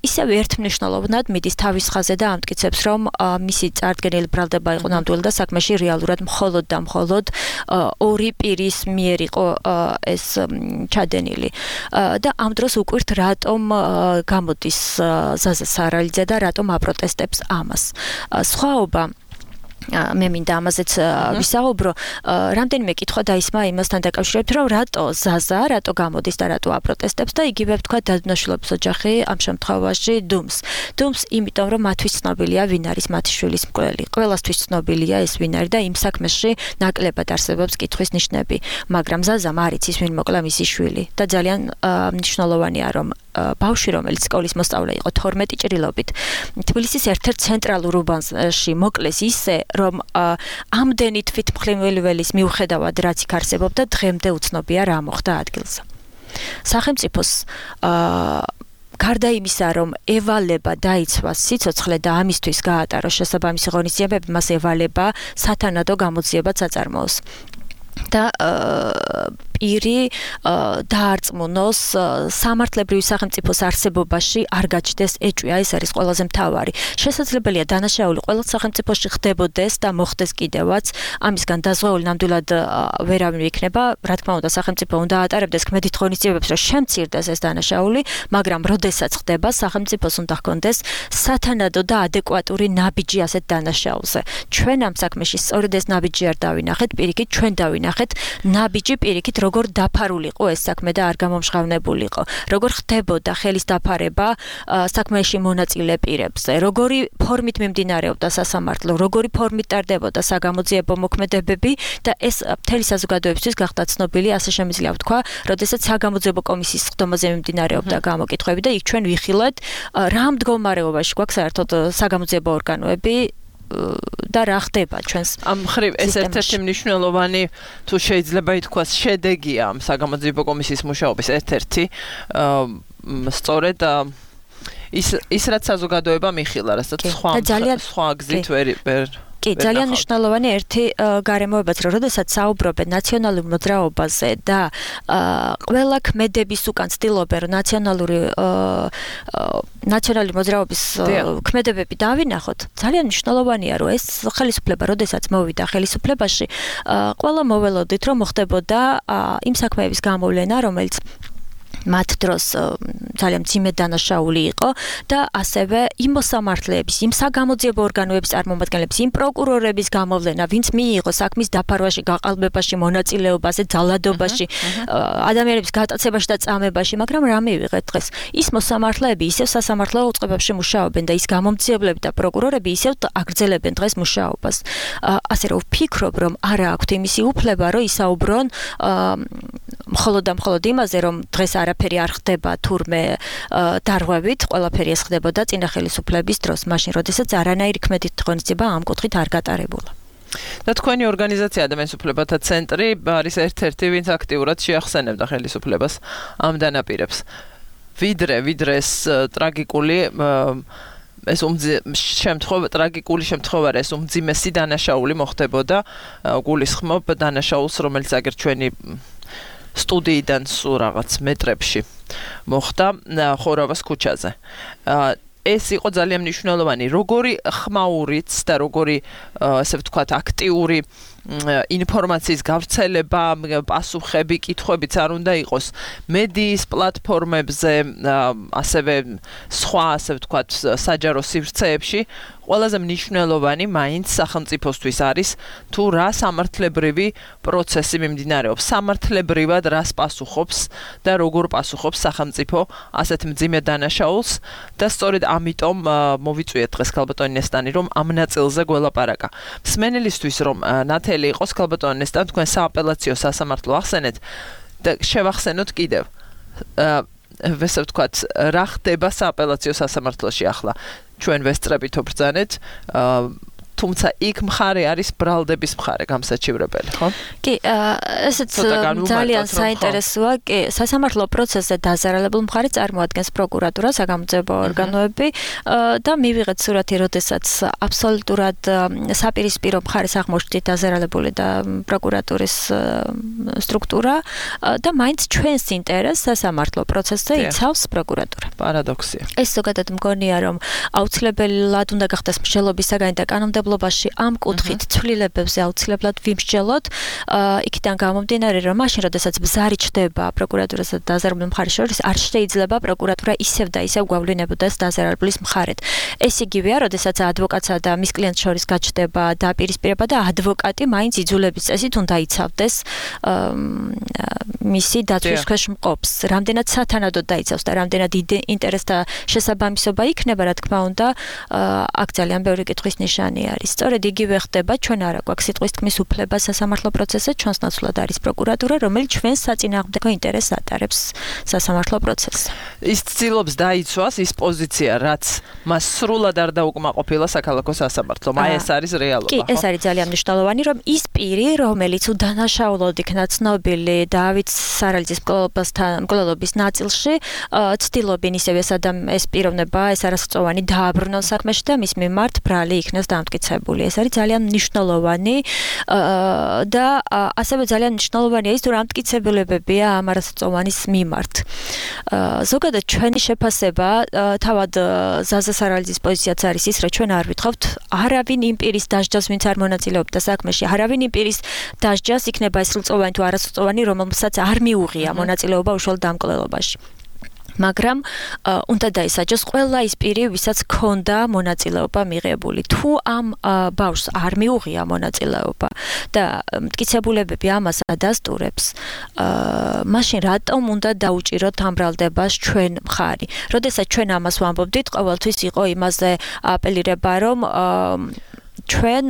ისევ ერთმნიშვნელოვნად მიდის თავის ხაზზე და ამტკიცებს, რომ მისი წარდგენილი ბრალდება იყო ნამდვილი და საქმეში რეალურად მხოლოდ და მხოლოდ ორი პირის მიერ იყო ეს ჩადენილი. და ამ დროს უკვირთ რატომ გამოდის ზაზა სარალიძე და რატომ აპროტესტებს ამას. სხვაობა მე მინდა ამაზეც ვისაუბრო, რამდენიმე კითხვა დაისმა იმასთან დაკავშირებით, რომ რატო ზაზა, რატო გამოდის და რატო აპროტესტებს და იგივე ვთქვა დადნაშვილების ოჯახი ამ შემთხვევაში დუმს. დუმს, იმიტომ რომ მათთვის ცნობილია ვინ არის მათი შვილის მკვლელი. ყველასთვის ცნობილია ეს ვინ არის და იმ საქმეში ნაკლებად არსებობს კითხვის ნიშნები, მაგრამ ზაზამ არ იცის ვინ მოკლა მისი შვილი და ძალიან მნიშვნელოვანია, რომ ბავშვი, რომელიც სკოლის მოსწავლე იყო 12 ჭრილობით, თბილისის ერთ-ერთ ცენტრალურ უბანში მოკლეს ისე, რომ ამდენი თვითმხილველის მიუხედავად რაც იქ არსებობდა, დღემდე უცნობია რა მოხდა ადგილზე. სახელმწიფოს გარდა იმისა, რომ ევალება დაიცვას სიცოცხლე და ამისთვის გაატაროს შესაბამისი ღონისძიებები, მას ევალება სათანადო გამოძიებაც აწარმოოს. და პირი დაარწმუნოს სამართლებრივი სახელმწიფოს არსებობაში არ გაჩნდეს ეჭვი, ეს არის ყველაზე მთავარი. შესაძლებელია დანაშაული ყველა სახელმწიფოში ხდებოდეს და მოხდეს კიდევაც, ამისგან დაზღვეული ნამდვილად ვერავინ იქნება, რა თქმა უნდა სახელმწიფო უნდა ატარებდეს ქმედით ღონისძიებებს, რომ შემცირდეს ეს დანაშაული, მაგრამ როდესაც ხდება, სახელმწიფოს უნდა ჰქონდეს სათანადო და ადეკვატური ნაბიჯი ასეთ დანაშაულზე. ჩვენ ამ საქმეში სწორედ ეს ნაბიჯი არ დავინახეთ, პირიქით ჩვენ დავინახეთ ნაბიჯი პირიქით როგორ დაფარულიყო ეს საქმე და არ გამომჟღავნებულიყო. როგორ ხდებოდა ხელის დაფარება საქმეში მონაწილე პირებზე, როგორი ფორმით მიმდინარეობდა სასამართლო, როგორი ფორმით ტარდებოდა საგამოძიებო მოქმედებები და ეს მთელი საზოგადოებისთვის გახდა ცნობილი, ასე შემიძლია ვთქვა, როდესაც საგამოძიებო კომისიის ხდომაზე მიმდინარეობდა გამოკითხვები და იქ ჩვენ ვიხილეთ რა მდგომარეობაში გვაქვს საერთოდ საგამოძიებო ორგანოები და რა ხდება ჩვენს ამ ხრივ ეს ერთ-ერთი მნიშვნელოვანი თუ შეიძლება ითქვას შედეგია ამ საგამოძიებო კომისიის მუშაობის ერთ-ერთი სწორედ ის რაც საზოგადოება მიხილა, რასაც სხვა გზით ვერ კი, ძალიან მნიშვნელოვანი ერთი გარემოებაც, რომ როდესაც საუბრობენ ნაციონალურ მოძრაობაზე და ყველა ქმედების უკან ცდილობენ, რომ ნაციონალური მოძრაობის ქმედებები დავინახოთ, ძალიან მნიშვნელოვანია, რომ ეს ხელისუფლება, როდესაც მოვიდა ხელისუფლებაში, ყველა მოველოდით, რომ მოხდებოდა იმ საქმეების გამოვლენა, რომელიც მათ დროს ძალიან მძიმე დანაშაული იყო და ასევე იმ მოსამართლეების, იმ საგამოძიებო ორგანოების წარმომადგენლების, იმ პროკურორების გამოვლენა, ვინც მიიღო საქმის დაფარვაში, გაყალბებაში, მონაწილეობაზე, ძალადობაში, ადამიანების გატაცებაში და წამებაში, მაგრამ რა მივიღეთ დღეს? ის მოსამართლეები ისევ სასამართლო უწყებებში მუშაობენ და ის გამომძიებლები და პროკურორები ისევ აგრძელებენ დღეს მუშაობას. ასე რომ ვფიქრობ, რომ არა აქვთ იმისი უფლება, რომ ისაუბრონ მხოლოდ იმაზე, რომ დღეს არაფერი არ ხდება თურმე დარღვევით, ყველაფერი ეს ხდებოდა წინა ხელისუფლების დროს, მაშინ როდესაც არანაირი ქმედით ღონისძიება ამ კუთხით არ გატარებულა. და თქვენი ორგანიზაცია ადამიანის უფლებათა ცენტრი არის ერთ-ერთი, ვინც აქტიურად შეახსენებდა ხელისუფლებას ამ დანაპირებს. ვიდრე ეს ტრაგიკული ტრაგიკული შემთხვევა ეს უმძიმესი დანაშაული მოხდებოდა, გულისხმობ დანაშაულს, რომელიც აგერ ჩვენი სტუდიიდან სულ რაღაც მეტრებში მოხდა ხორავას ქუჩაზე. ეს იყო ძალიან მნიშვნელოვანი, როგორი ხმაურიც და როგორი ასე ვთქვათ აქტიური ინფორმაციის გავრცელება, პასუხები, კითხვებიც არ უნდა იყოს მედიის პლატფორმებზე, ასევე სხვა, ასე ვთქვათ, საჯარო სივრცეებში. ყველაზე მნიშვნელოვანი მაინც სახელმწიფოსთვის არის თუ რა სამართლებრივი პროცესი მიმდინარეობს, სამართლებრივად რას პასუხობს და როგორ პასუხობს სახელმწიფო ასეთ მძიმე დანაშაულს და სწორედ ამიტომ მოვიწვიეთ დღეს ქალბატონი ნესტანი, რომ ამ ნაწილზე გველაპარაკა. მსმენელისთვის რომ ნათელი იყოს ქალბატონი ნესტანი, თქვენ სააპელაციო სასამართლო ახსენეთ და შევახსენოთ კიდევ. ესე ვთქვათ, რა ხდება სააპელაციო სასამართლოში ახლა? ჩვენ ვესწრებით ვბრძანეთ, თუმცა იქ მხარე არის ბრალდების მხარე გამსაჩივრებელი, ხო? კი, ესეც ძალიან საინტერესოა. კი, სასამართლო პროცესზე დაზარალებულ მხარეს წარმოადგენს პროკურატურა, საგამოძიებო ორგანოები და მივიღეთ სურათი, როდესაც აბსოლუტურად საპირისპირო მხარეს აღმოჩნდით დაზარალებული და პროკურატურის სტრუქტურა და მაინც ჩვენს ინტერესს სასამართლო პროცესზე იცავს პროკურატურა. პარადოქსია. ეს ზოგადად მგონია, რომ აუცილებლად უნდა გახდეს მსჯელობის საგანი და კანონმდებლობა ამ კუთხით ცვლილებებზე აუცილებლად ვიმსჯელოთ, იქიდან გამომდინარე, რომ მაშინ, როდესაც ბზარი ჩდება პროკურატურასა და დაზარალებულ მხარეს შორის, არ შეიძლება პროკურატურა ისევ და ისევ გვავლინებოდეს დაზარალებლის მხარეთ. ეს იგივეა, როდესაც ადვოკატსა და მის კლიენტს შორის გაჩნდება დაპირისპირება და ადვოკატი მაინც იძულების წესით უნდა იცავდეს მისი დაცვის ქვეშ მყოფს. რამდენად სათანადოდ დაიცავს და რამდენად ინტერესთა შესაბამისობა იქნება, რა თქმა უნდა, აქ ძალიან ბევრი კითხვის ნიშანი არის. სწორედ იგივე ხდება, ჩვენ არა გვაქვს სიტყვის თქმის უფლება სასამართლო პროცესზე, ჩვენს ნაცვლად არის პროკურატურა, რომელიც ჩვენს საწინააღმდეგო ინტერესს ატარებს სასამართლო პროცესზე. ის ცდილობს დაიცვას ის პოზიცია, რაც მას სრულად არ დაუკმაყოფილა საქალაქო სასამართლომ. აი ეს არის რეალობა, ხო? კი, ეს არის ძალიან მნიშვნელოვანი, რომ ის პირი, რომელიც უდანაშაულოდ იქნა ცნობილი დავით სარალიძის მკვლელობის ნაწილში, ცდილობენ ისევ ეს პიროვნება, ეს არასწოვანი დააბრუნოს საქმეში და მის მიმართ ბრალი იქნას დამტკიცებული. დამტკიცებული. ეს არის ძალიან მნიშვნელოვანი და ასევე ძალიან მნიშვნელოვანია ის, თუ რა მტკიცებულებებია ამ არასწლოვანის მიმართ. ზოგადად ჩვენი შეფასება თავად ზაზა სარალიძის პოზიციაც არის ის, რომ ჩვენ არ ვითხოვთ არავინ იმ პირის დასჯას, ვინც არ მონაწილეობდა საქმეში, არავინ იმ პირის დასჯას იქნება ეს სრულწლოვანი თუ არასრულწლოვანი, რომელსაც არ მიუღია მონაწილეობა უშუალოდ დამკვლელობაში. მაგრამ უნდა დაისაჯოს ყველა ის პირი, ვისაც ჰქონდა მონაწილეობა მიღებული. თუ ამ ბავშვს არ მიუღია მონაწილეობა და მტკიცებულებები ამას ადასტურებს, მაშინ რატომ უნდა დაუჭიროთ ამ ბრალდებას ჩვენ მხარი? როდესაც ჩვენ ამას ვამბობდით, ყოველთვის იყო იმაზე აპელირება, რომ ჩვენ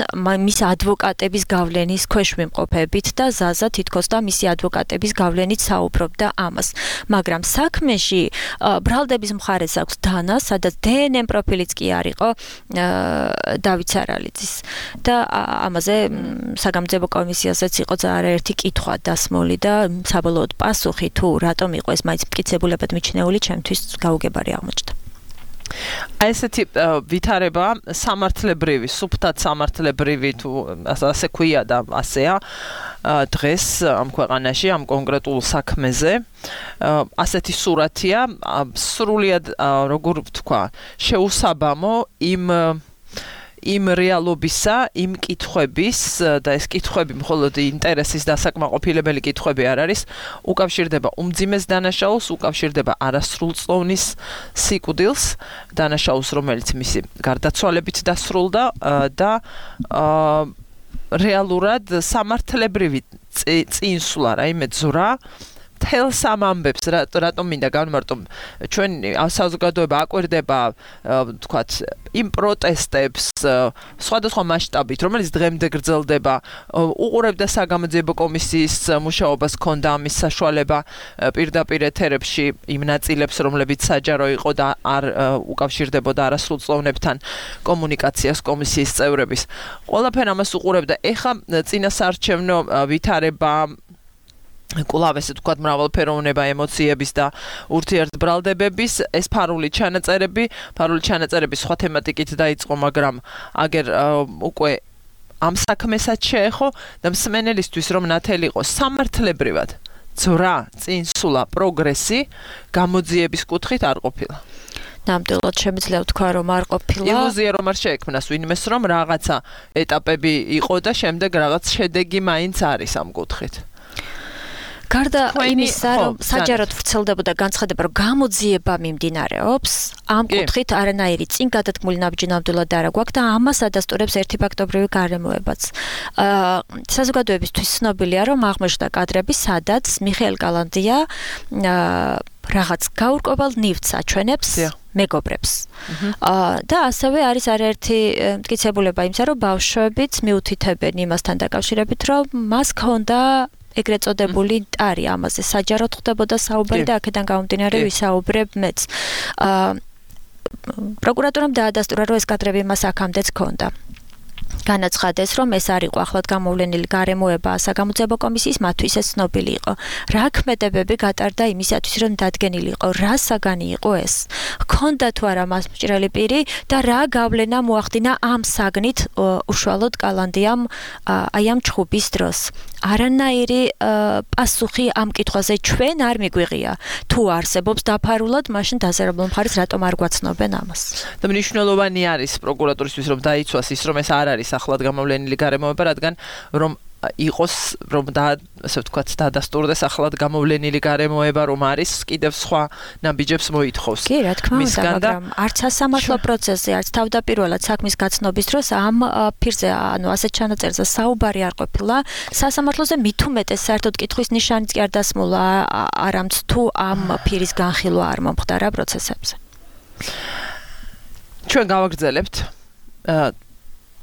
მის ადვოკატების გავლენის ქვეშ ვიმყოფებით და ზაზა თითქოს და მისი ადვოკატების გავლენით საუბრობდა ამას. მაგრამ საქმეში ბრალდების მხარეს აქვს დანა, სადაც დნმ პროფილიც კი არ იყო დავით სარალიძის. და ამაზე საგამოძიებო კომისიასაც იყო არაერთი კითხვა დასმული და საბოლოოდ პასუხი თუ რატომ იყო ეს მაინც მტკიცებულებად მიჩნეული, ჩემთვის გაუგებარი აღმოჩნდა. აი ესეთი ვითარება სამართლებრივი, სუფთად სამართლებრივი თუ ასე ქვია და ასეა დღეს ამ ქვეყანაში ამ კონკრეტულ საქმეზე ასეთი სურათია სრულიად როგორ ვთქვა შეუსაბამო იმ რეალობისა, იმ კითხვების და ეს კითხვები მხოლოდ ინტერესის დასაკმაყოფილებელი კითხვები არ არის, უკავშირდება უმძიმეს დანაშაულს, უკავშირდება არასრულწლოვნის სიკვდილს, დანაშაულს, რომელიც მისი გარდაცვალებით დასრულდა და რეალურად სამართლებრივი წინსვლა, რაიმე ძვრა თელს ამ ამბებს რატომ მინდა განმარტო ჩვენ საზოგადოება აკვირდება თქვათ იმ პროტესტებს სხვადასხვა მასშტაბით რომელიც დღემდე გრძელდება უყურებდა საგამოძიებო კომისიის მუშაობას ქონდა ამის საშუალება პირდაპირ ეთერებში იმ ნაწილებს რომლებიც საჯარო იყო და არ უკავშირდებოდა არასრულწლოვნებთან კომუნიკაციას კომისიის წევრების ყველაფერ ამას უყურებდა ეხა წინასაარჩევნო ვითარება კვლავ ესე თქვათ მრავალფეროვნება ემოციების და ურთიერთბრალდებების ეს ფარული ჩანაწერები სხვა თემატიკით დაიწყო მაგრამ აგერ უკვე ამ საქმესაც შეეხო და მსმენელისთვის რომ ნათელი იყო სამართლებრივად ძვრა წინსვლა პროგრესი გამოძიების კუთხით არ ყოფილა ნამდვილად შემიძლია ვთქვა რომ არ ყოფილა ილუზია რომ არ შეექმნას ვინმეს რომ რაღაცა ეტაპები იყო და შემდეგ რაღაც შედეგი მაინც არის ამ კუთხით გარდა იმისა, რომ საჯაროდ ვრცელდებოდა განცხადება, რომ გამოძიება მიმდინარეობს, ამ კუთხით არანაირი წინ გადადგმული ნაბიჯი ნამდვილად არ აქვს და ამას ადასტურებს ერთი ფაქტობრივი გარემოებაც. საზოგადოებისთვის ცნობილია, რომ აღმოჩნდა კადრები, სადაც მიხეილ კალანდია რაღაც გაურკვეველ ნივთს აჩვენებს მეგობრებს. და ასევე არის არაერთი მტკიცებულება იმისა, რომ ბავშვებიც მიუთითებენ იმასთან დაკავშირებით, რომ მას ჰქონდა ეგრეთ წოდებული ტარი ამაზე საჯაროდ ხდებოდა საუბარი და აქედან გამომდინარე ვისაუბრებ მეც. პროკურატურამ დაადასტურა რომ ეს კადრები მას აქამდეც ჰქონდა. განაცხადეს რომ ეს არ იყო ახლად გამოვლენილი გარემოება საგამოძიებო კომისიის მათთვის ეს ცნობილი იყო. რა ქმედებები გატარდა იმისათვის რომ დადგენილი იყო რა საგანი იყო ეს. ჰქონდა თუ არა მას მჭრელი პირი და რა გავლენა მოახდინა ამ საგნით უშუალოდ კალანდიამ აი ამ ჩხუბის დროს. არანაირი პასუხი ამ კითხვაზე ჩვენ არ მიგვიღია. თუ არსებობს დაფარულად, მაშინ დასერებულ მხარეს რატომ არ გვაცნობენ ამას? და მნიშვნელოვანი არის პროკურატურისთვის რომ დაიცვას ის რომ ეს არ არის ახლად გამოვლენილი გარემოება, რადგან რომ იყოს რომ ასე ვთქვათ დაადასტურდეს ახლად გამოვლენილი გარემოება რომ არის კიდევ სხვა ნაბიჯებს მოითხოვს. კი, რა თქმა უნდა, მაგრამ არც სასამართლო პროცესზე, არც თავდაპირველად საქმის გაცნობის დროს ამ ფირზე, ანუ ასეთ ჩანაწერზე საუბარი არ ყოფილა. სასამართლოზე მით უმეტეს საერთოდ კითხვის ნიშანიც კი არ დასმულა, არამც თუ ამ ფირის განხილვა არ მომხდარა პროცესებზე. ჩვენ გავაგრძელებთ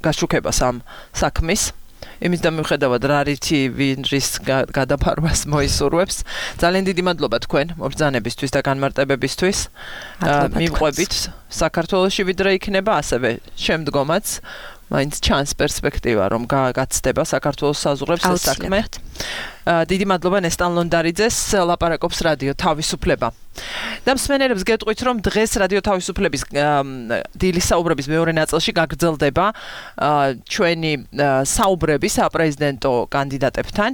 გაშუქებას ამ საქმის იმის და მიუხედავად რა რითი ვინრის გადაფარვას მოისურვებს ძალიან დიდი მადლობა თქვენ მობრძანებისთვის და განმარტებებისთვის მივყვებით საქართველოში ვიდრე იქნება ასევე შემდგომაც მაინც ჩანს პერსპექტივა რომ გაცდება საქართველოს საზღვრებს ეს საქმე დიდი მადლობა ნესტან ლონდარიძეს, ლაპარაკობს რადიო თავისუფლება. და მსმენელებს გეტყვით, რომ დღეს რადიო თავისუფლების დილის საუბრების მეორე ნაწილში გაგრძელდება ჩვენი საუბრები საპრეზიდენტო კანდიდატებთან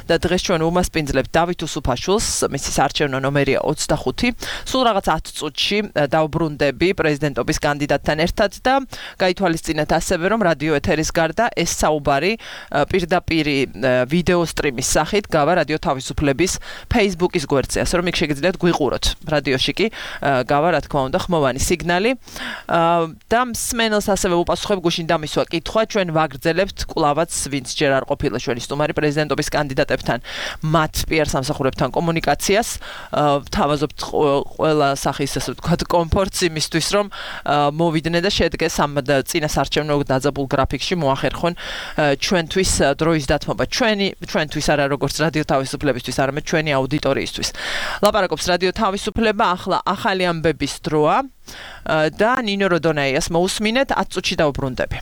და დღეს ჩვენ უმასპინძლებთ დავით უსუფაშვილს, მისი საარჩევნო ნომერია 25. სულ რაღაც 10 წუთში დავბრუნდები პრეზიდენტობის კანდიდატთან ერთად და გაითვალისწინეთ ასევე, რომ რადიო ეთერის გარდა ეს საუბარი პირდაპირ ვიდეო სტრიმის სახით გავა რადიო თავისუფლების Facebook-ის გვერდზე, ასე რომ იქ შეგიძლიათ გვიყუროთ. რადიოში კი გავა რა თქმა უნდა ხმოვანი სიგნალი და მსმენელს ასევე უპასუხებ გუშინ დამისვა კითხვა ჩვენ ვაგრძელებთ კვლავაც ვინც ჯერ არ ყოფილა ჩვენი სტუმარი პრეზიდენტობის კანდიდატებთან მათ PR სამსახურებთან კომუნიკაციას თავაზობთ ყველა სახის ასე ვთქვათ კომფორტს იმისთვის რომ მოვიდნენ და შედგეს ამ წინასაარჩევნო დაძაბულ გრაფიკში მოახერხონ ჩვენთვის დროის დათმობა ჩვენთვის არა როგორც რადიო თავისუფლებისთვის არამედ ჩვენი აუდიტორიისთვის ლაპარაკობს რადიო თავისუფლება ახლა ახალი ამბების დროა და ნინო როდონაიას მოусმინეთ 10 წუთში დავბრუნდები.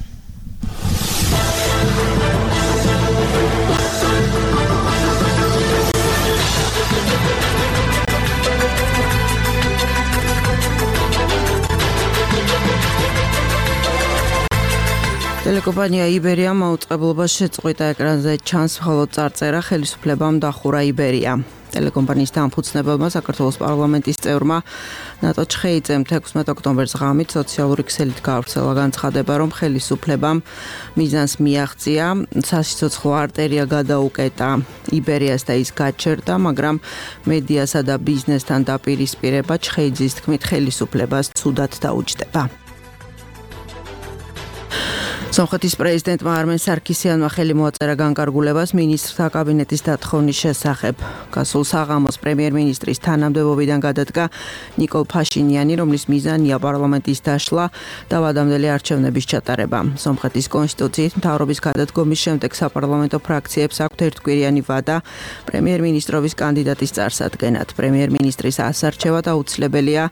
ტელეკომპანია იბერია მაუწყებლობას შეწყვიტა ეკრანზე ჩანს მხოლოდ წარწერა ხელისუფლებამ დახურა იბერია. ტელეკომპანიის დამფუძნებელმა საქართველოს პარლამენტის წევრმა ნატო ჩხეიძემ 16 ოქტომბერს ღამით სოციალური ქსელით გავრცელა განცხადება, რომ ხელისუფლებამ მიზანს მიაღწია, სასიცოცხლო არტერია გადაუკეტა იბერიას და ის გაჩერდა, მაგრამ მედიასა და ბიზნესთან დაპირისპირება ჩხეიძის თქმით ხელისუფლებას ცუდად დაუჯდება. სომხეთის პრეზიდენტმა არმენ სარქისიანმა ხელი მოაწერა განკარგულებას მინისტრთა კაბინეტის დათხოვნის შესახებ. გასულ საღამოს პრემიერ-მინისტრის თანამდებობიდან გადადგა ნიკოლ ფაშინიანი, რომლის მიზანია პარლამენტის დაშლა და ვადამდელი არჩევნების ჩატარება. სომხეთის კონსტიტუციით მთავრობის გადადგომის შემდეგ საპარლამენტო ფრაქციებს აქვთ ერთკვირიანი ვადა პრემიერ-მინისტრობის კანდიდატის წარსადგენად. პრემიერ-მინისტრის ასარჩევად აუცილებელია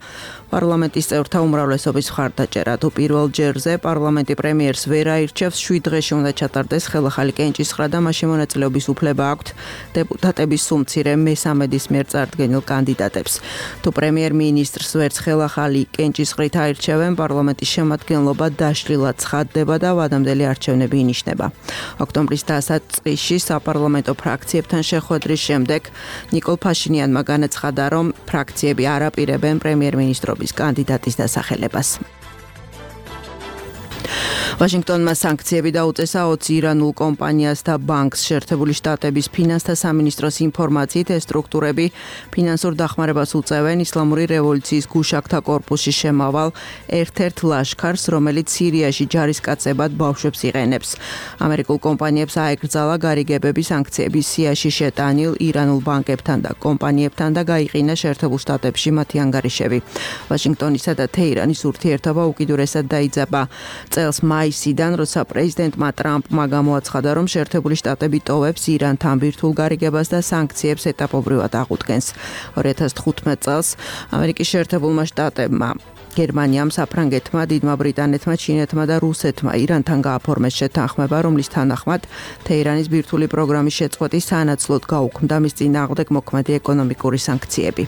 პარლამენტის წევრთა უმრავლესობის მხარდაჭერა. თუ პირველ ჯერზე პარლამენტი პრემიერს ვერ აირჩევს, 7 დღეში უნდა ჩატარდეს ხელახალი კენჭისხრა და მასში მონაწილეობის უფლება აქვთ დეპუტატების სულ მცირე მესამედის მიერ წარდგენილ კანდიდატებს. თუ პრემიერ-მინისტრს ვერც ხელახალი კენჭისყრით აირჩევენ, პარლამენტის შემადგენლობა დაშლილად ცხადდება და ვადამდელი არჩევნები ინიშნება. ოქტომბრის დასაწყისში საპარლამენტო ფრაქციებთან შეხვედრის შემდეგ ნიკოლ ფაშინიანმა განაცხადა, რომ ფრაქციები არ აპირებენ პრემიერ-მინისტრობის კანდიდატის დასახელებას. ვაშინგტონმა სანქციები დაუწესა 20 ირანულ კომპანიას და ბანკს. შეერთებული შტატების ფინანსთა სამინისტროს ინფორმაციით ეს სტრუქტურები ფინანსურ დახმარებას უწევენ ისლამური რევოლუციის გუშაკთა კორპუსში შემავალ ერთ-ერთ ლაშქარს, რომელიც სირიაში ჯარისკაცებად ბავშვებს იყენებს. ამერიკულ კომპანიებს აეკრძალა გარიგებები სანქციების სიაში შეტანილ ირანულ ბანკებთან და კომპანიებთან და გაიყინა შეერთებულ შტატებში მათი ანგარიშები. ვაშინგტონისა და თეირანის ურთიერთობა უკიდურესად დაიძაბა. წელს მაისიდან, როცა პრეზიდენტმა ტრამპმა გამოაცხადა, რომ შეერთებული შტატები ტოვებს ირანთან ბირთვულ გარიგებას და სანქციებს ეტაპობრივად აღუდგენს. 2015 წელს ამერიკის შეერთებულმა შტატებმა გერმანიამ, საფრანგეთმა, დიდმა ბრიტანეთმა, ჩინეთმა და რუსეთმა ირანთან გააფორმეს შეთანხმება, რომლის თანახმად თეირანის ბირთვული პროგრამის შეწყვეტის სანაცვლოდ გაუქმდა მის წინააღმდეგ მოქმედი ეკონომიკური სანქციები.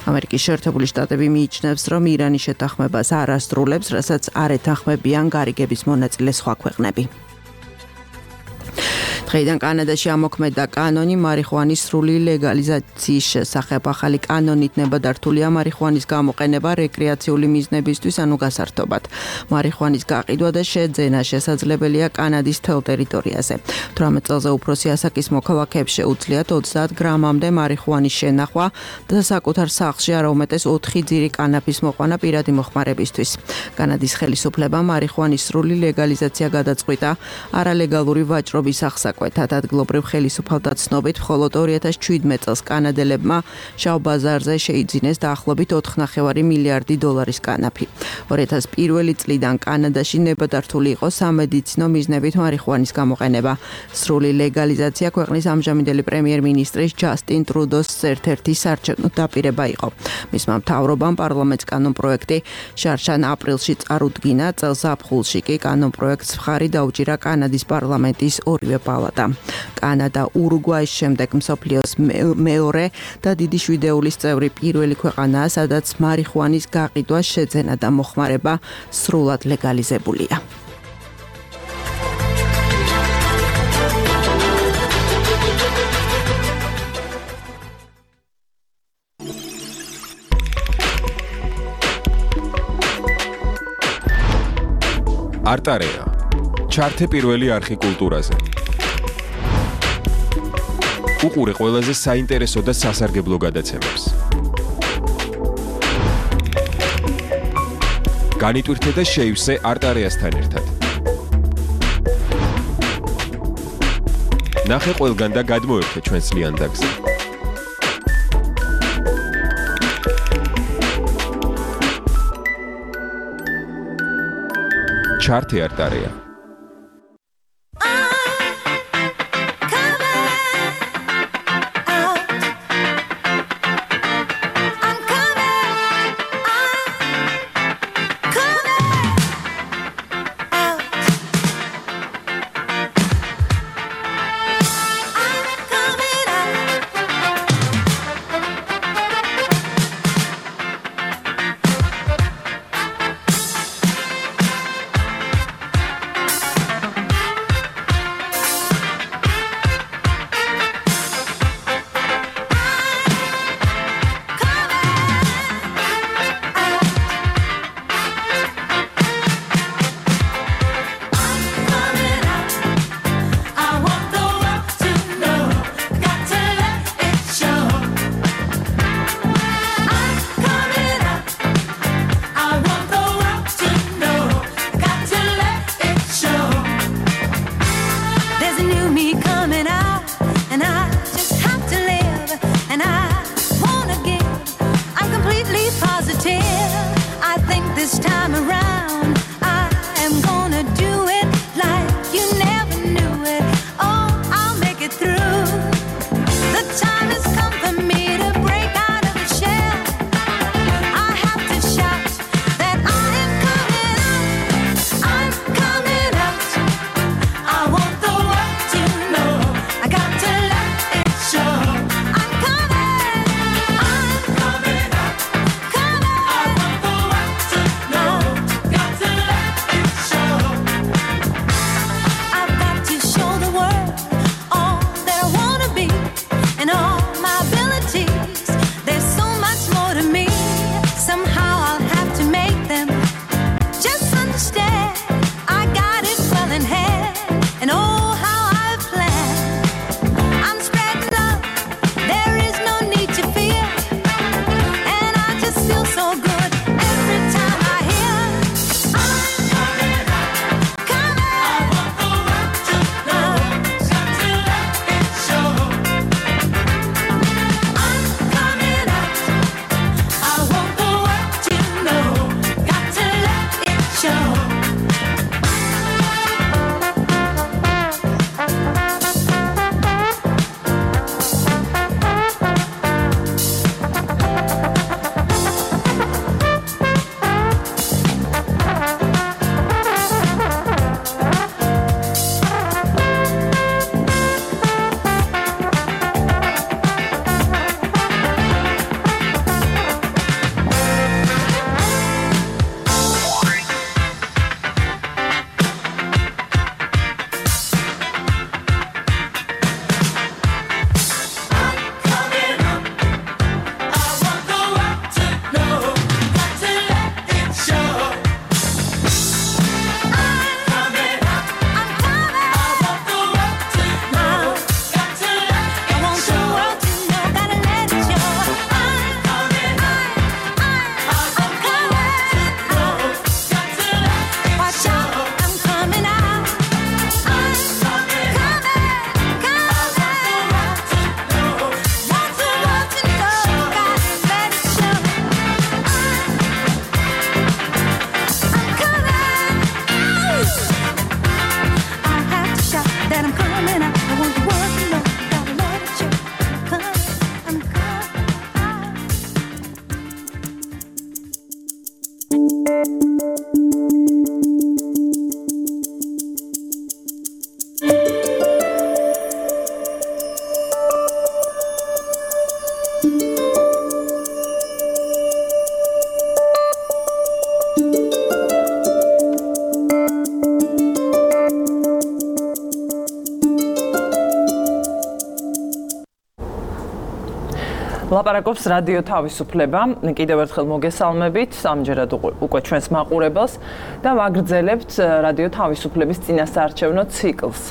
ამერიკის შეერთებული შტატები მიიჩნევს, რომ ირანის შეთანხმებას არ ასრულებს, რასაც არ ეთანხმებიან გარიგების მონაწილე სხვა ქვეყნები. დღეიდან კანადაში ამოქმედა კანონი მარიხუანის სრული ლეგალიზაციის შესახებ. ახალი კანონით ნებადართულია მარიხუანის გამოყენება რეკრეაციული მიზნებისთვის, ანუ გასართობად. მარიხუანის გაყიდვა და შეძენა შესაძლებელია კანადის მთელ ტერიტორიაზე. 18 წელზე უფროსი ასაკის მოქალაქეებს შეუძლიათ 30 გრამამდე მარიხუანის შენახვა და საკუთარ სახლში არა უმეტეს 4 ძირი კანაფის მოყვანა პირადი მოხმარებისთვის. კანადის ხელისუფლებამ მარიხუანის სრული ლეგალიზაცია გადაწყვიტა არალეგალური ვაჭრობის აღსაკვეთად. ადგილობრივ ხელისუფალთა ცნობით, მხოლოდ 2017 წელს კანადელებმა შავ ბაზარზე შეიძინეს დაახლოებით 4.5 მილიარდი დოლარის კანაფი. 2001 წლიდან კანადაში ნებადართული იყო სამედიცინო მიზნებით მარიხუანის გამოყენება. სრული ლეგალიზაცია ქვეყნის ამჟამინდელი პრემიერ-მინისტრის ჯასტინ ტრუდოს ერთ-ერთი საარჩევნო დაპირება იყო. მისმა მთავრობამ პარლამენტს კანონპროექტი შარშან აპრილში წარუდგინა, წელს ზაფხულში კი კანონპროექტს მხარი დაუჭირა კანადის პარლამენტის ორივე პალატამ. წელადა. კანადა ურუგვაის შემდეგ მსოფლიოს მეორე და დიდი შვიდეულის წევრი პირველი ქვეყანაა, სადაც მარიხუანის გაყიდვა, შეძენა და მოხმარება სრულად ლეგალიზებულია. არტარეა. ჩართე პირველი არხი კულტურაზე. უყურე ყველაზე საინტერესო და სასარგებლო გადაცემებს. განიტვირთე და შეივსე არტარეასთან ერთად. ნახე ყველგან და გადმოერთე ჩვენს ლიანდაგზე. ჩართე არტარეა. Got to ლაპარაკობს რადიო თავისუფლება. კიდევ ერთხელ მოგესალმებით ამჯერად უკვე ჩვენს მაყურებელს და ვაგრძელებთ რადიო თავისუფლების წინასაარჩევნო ციკლს.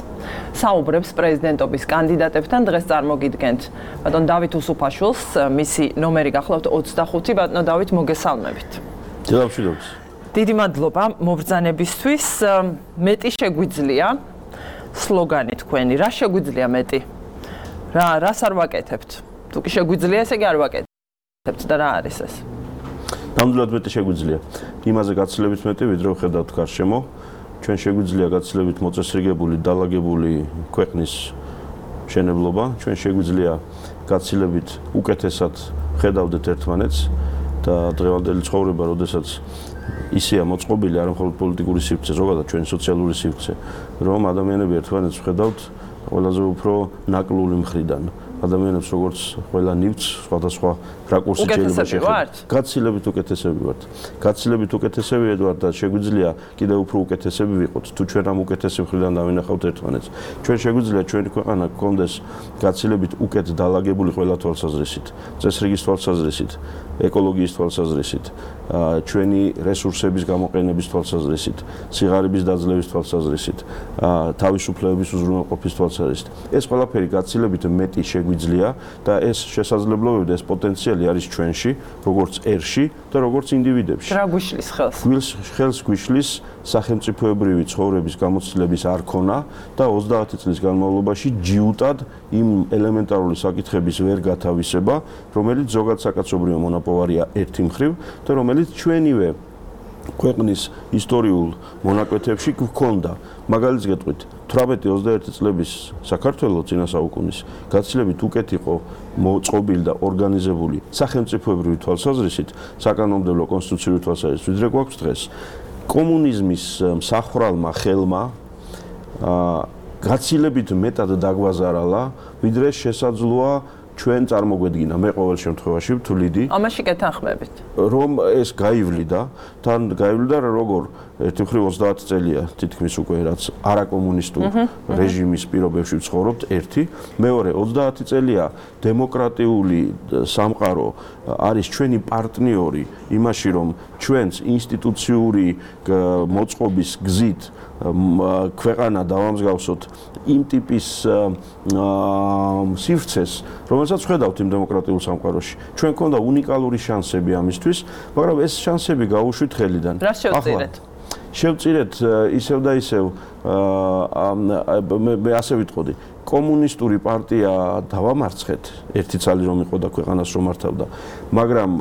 საუბრებს პრეზიდენტობის კანდიდატებთან დღეს წარმოგიდგენთ ბატონ დავით უსუფაშვილს, მისი ნომერი გახლავთ 25. ბატონო დავით, მოგესალმებით. დიახ. დიდი მადლობა მობრძანებისთვის. მეტი შეგვიძლია სლოგანი თქვენი. რა შეგვიძლია მეტი? რას არ ვაკეთებთ? თუ კი შეგვიძლია, ესე იგი არ ვაკეთებთ და რა არის ეს? ნამდვილად მეტი შეგვიძლია. იმაზე გაცილებით მეტი, ვიდრე ვხედავთ გარშემო. ჩვენ შეგვიძლია გაცილებით მოწესრიგებული, დალაგებული ქვეყნის მშენებლობა. ჩვენ შეგვიძლია გაცილებით უკეთესად ხედავდეთ ერთმანეთს და დღევანდელი ცხოვრება, როდესაც ისეა მოწყობილი არა მხოლოდ პოლიტიკური სივრცე, ზოგადად ჩვენი სოციალური სივრცე, რომ ადამიანები ერთმანეთს ხედავთ ყველაზე უფრო ნაკლული მხრიდან. ადამიანებს როგორც ყველა ნივთს სხვადასხვა რაკურსით შეიძლება შეხედოთ. გაცილებით უკეთესები ვართ. გაცილებით უკეთესები ვართ და შეგვიძლია კიდევ უფრო უკეთესები ვიყოთ, თუ ჩვენ ამ უკეთესი მხრიდან დავინახავთ ერთმანეთს. ჩვენ შეგვიძლია ჩვენი ქვეყანა გქონდეს გაცილებით უკეთ დალაგებული ყველა თვალსაზრისით, წესრიგის თვალსაზრისით, ეკოლოგიის თვალსაზრისით, ჩვენი რესურსების გამოყენების თვალსაზრისით, სიღარიბის დაძლევის თვალსაზრისით, თავისუფლებების უზრუნველყოფის თვალსაზრისით. ეს ყველაფერი გაცილებით მეტი შეგვიძლია და ეს შესაძლებლობები და ეს პოტენციალი არის ჩვენში, როგორც ერში და როგორც ინდივიდებში. რა გვიშლის ხელს? ხელს გვიშლის სახელმწიფოებრივი ცხოვრების გამოცდილების არქონა და 30 წლის განმავლობაში ჯიუტად იმ ელემენტარული საკითხების ვერ გათავისება, რომელიც ზოგად საკაცობრიო მონაპოვარია ერთი მხრივ და რომელიც ჩვენივე ქვეყნის ისტორიულ მონაკვეთებში გვქონდა. მაგალითს გეტყვით, 18-21 წლების საქართველოს წინა საუკუნის გაცილებით უკეთ იყო მოწყობილი და ორგანიზებული სახელმწიფოებრივი თვალსაზრისით, საკანონმდებლო კონსტიტუციური თვალსაზრისით, ვიდრე გვაქვს დღეს. კომუნიზმის მსახვრალმა ხელმა გაცილებით მეტად დაგვაზარალა, ვიდრე შესაძლოა ჩვენ წარმოგვედგინა. მე ყოველ შემთხვევაში ვთვლიდი ამაში გეთანხმებით, რომ ეს გაივლიდა, თან გაივლიდა როგორ ერთი მხრივ 30 წელია თითქმის უკვე რაც არაკომუნისტურ რეჟიმის პირობებში ვცხოვრობთ, ერთი, მეორე 30 წელია დემოკრატიული სამყარო არის ჩვენი პარტნიორი იმაში, რომ ჩვენს ინსტიტუციური მოწყობის გზით ქვეყანა დავამსგავსოთ იმ ტიპის სივრცეს, რომელსაც ვხედავთ იმ დემოკრატიულ სამყაროში. ჩვენ გქონდა უნიკალური შანსები ამისთვის, მაგრამ ეს შანსები გაუშვით ხელიდან. რა შევწირეთ? შევწირეთ ისევ და ისევ მე ასე ვიტყოდი, კომუნისტური პარტია დავამარცხეთ, ერთი ცალი რომ იყო და ქვეყანას რომ მართავდა, მაგრამ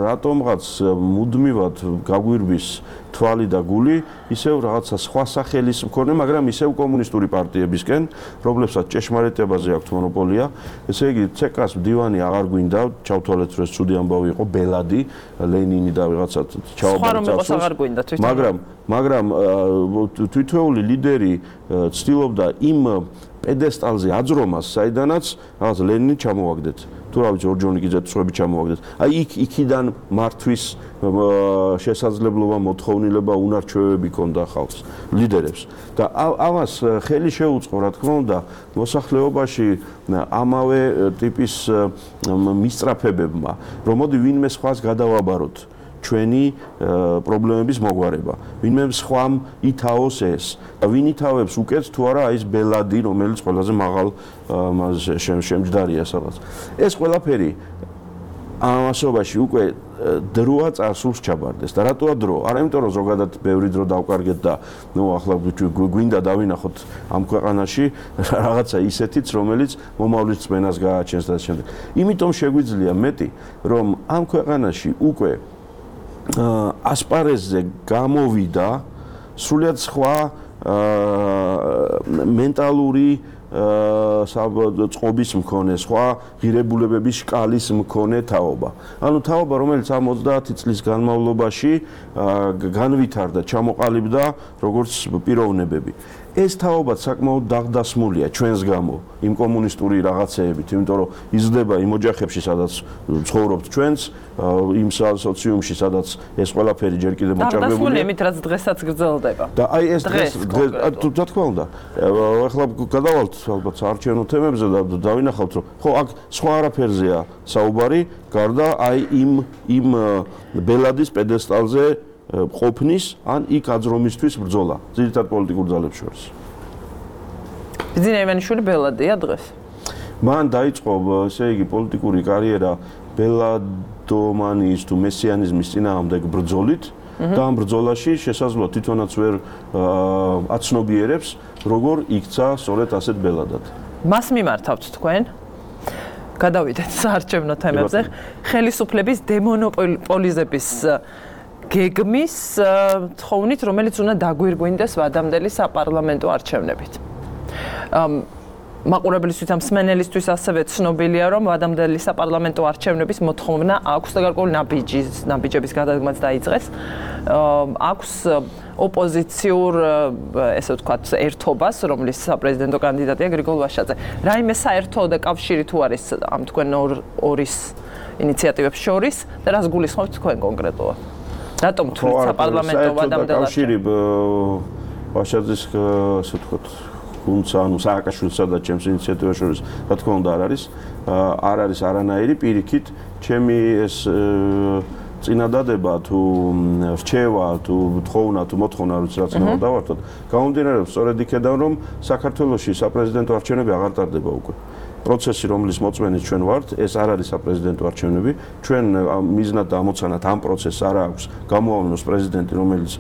რატომღაც მუდმივად გაგვირბის თვალი და გული ისევ რაღაცა სხვა სახელის მქონე, მაგრამ ისევ კომუნისტური პარტიებისკენ, რომლებსაც ჭეშმარიტებაზე აქვთ მონოპოლია. ესე იგი, ცეკას მდივანი აღარ გვინდა, ჩავთვალეთ, რომ ეს ცუდი ამბავი იყო, ბელადი, ლენინი და რაღაცა ჩაუბარწავს. მაგრამ თვითეული ლიდერი ცდილობდა იმ პედესტალზე აძრომას, საიდანაც რაღაც ლენინი ჩამოვაგდეთ. თუ რა ვიცი, ორჯონიკიძე წვები ჩამოვაგდეთ. აი იქიდან მართვის შესაძლებლობა, მოთხოვნილება, უნარჩვევები ქონდა ხალხს, ლიდერებს. და ამას ხელი შეუწყო, რა თქმა უნდა, მოსახლეობაში ამავე ტიპის მისწრაფებებმა, რომ მოდი ვინმე სხვას გადავაბაროთ. ჩვენი პრობლემების მოგვარება. ვინმე სხვამ ითაოს ეს. ვინ ითავებს უკეთ თუ არა აი ეს ბელადი, რომელიც ყველაზე მაღალ შემჯდარია სადღაც. ეს ყველაფერი ამასობაში უკვე დროა წარსულს ჩაბარდეს. და რატოა დრო? არა იმიტომ რომ ზოგადად ბევრი დრო დავკარგეთ და ახლა გვინდა დავინახოთ ამ ქვეყანაში რაღაცა ისეთიც, რომელიც მომავლის წმენას გააჩენს და შემდეგ. იმიტომ შეგვიძლია მეტი, რომ ამ ქვეყანაში უკვე ასპარეზზე გამოვიდა სრულიად სხვა მენტალური წყობის მქონე, სხვა ღირებულებების შკალის მქონე თაობა. ანუ თაობა, რომელიც ამ 30 წლის განმავლობაში განვითარდა, ჩამოყალიბდა როგორც პიროვნებები. ეს თაობაც საკმაოდ დაღდასმულია ჩვენს გამო იმ კომუნისტური რაღაცეებით, იმიტომ რომ იზრდება იმ ოჯახებში, სადაც ცხოვრობთ ჩვენც, იმ სოციუმში, სადაც ეს ყველაფერი ჯერ კიდევ მოჭარბებულია. დაღდასმულია იმით, რაც დღესაც გრძელდება. და აი ეს დღეს რა თქმა უნდა, ახლა გადავალთ ალბათ საარჩევნო თემებზე და დავინახავთ, რომ ხო აქ სხვა არაფერზეა საუბარი, გარდა აი იმ ბელადის პედესტალზე ყოფნის ან იქ აძრომისთვის ბრძოლა ძირითად პოლიტიკურ ძალებს შორის. ბიძინა ივანიშვილი ბელადია დღეს. მან დაიწყო, ესე იგი, პოლიტიკური კარიერა ბელადომანიის თუ მესიანიზმის წინააღმდეგ ბრძოლით და ამ ბრძოლაში შესაძლოა თვითონაც ვერ აცნობიერებს, როგორ იქცა სწორედ ასეთ ბელადად. მას მიმართავთ თქვენ? გადავიდეთ საარჩევნო თემებზე. ხელისუფლების დემონოპოლიზების გეგმის თხოვნით, რომელიც უნდა დაგვირგვინდეს ვადამდელი საპარლამენტო არჩევნებით. მაყურებლისთვის ამ მსმენელისთვის ასევე ცნობილია, რომ ვადამდელი საპარლამენტო არჩევნების მოთხოვნა აქვს და გარკვეული ნაბიჯების გადადგმაც დაიწყეს. აქვს ოპოზიციურ, ესე ვთქვათ, ერთობას, რომლის საპრეზიდენტო კანდიდატია გრიგოლ ვაშაძე. რაიმე საერთო და კავშირი თუ არის ამ თქვენ ორის ინიციატივებს შორის და რას გულისხმობთ თქვენ კონკრეტულად? რატომ თვლით საპარლამენტო ვადამდელ კავშირი ვაშაძის, ასე ვთქვათ, გუნდსა, ანუ სააკაშვილსა და ჩემს ინიციატივას შორის, რა თქმა უნდა, არ არის არანაირი პირიქით, ჩემი ეს წინადადება თუ რჩევა თუ თხოვნა თუ მოთხოვნა რაც უნდა დავართოთ, გამომდინარეობს სწორედ იქედან, რომ საქართველოში საპრეზიდენტო არჩევნები აღარ ტარდება უკვე. პროცესი, რომლის მოწმენიც ჩვენ ვართ, ეს არ არის საპრეზიდენტო არჩევნები. ჩვენ მიზნად და ამოცანად ამ პროცესს არ აქვს გამოავლინოს პრეზიდენტი, რომელიც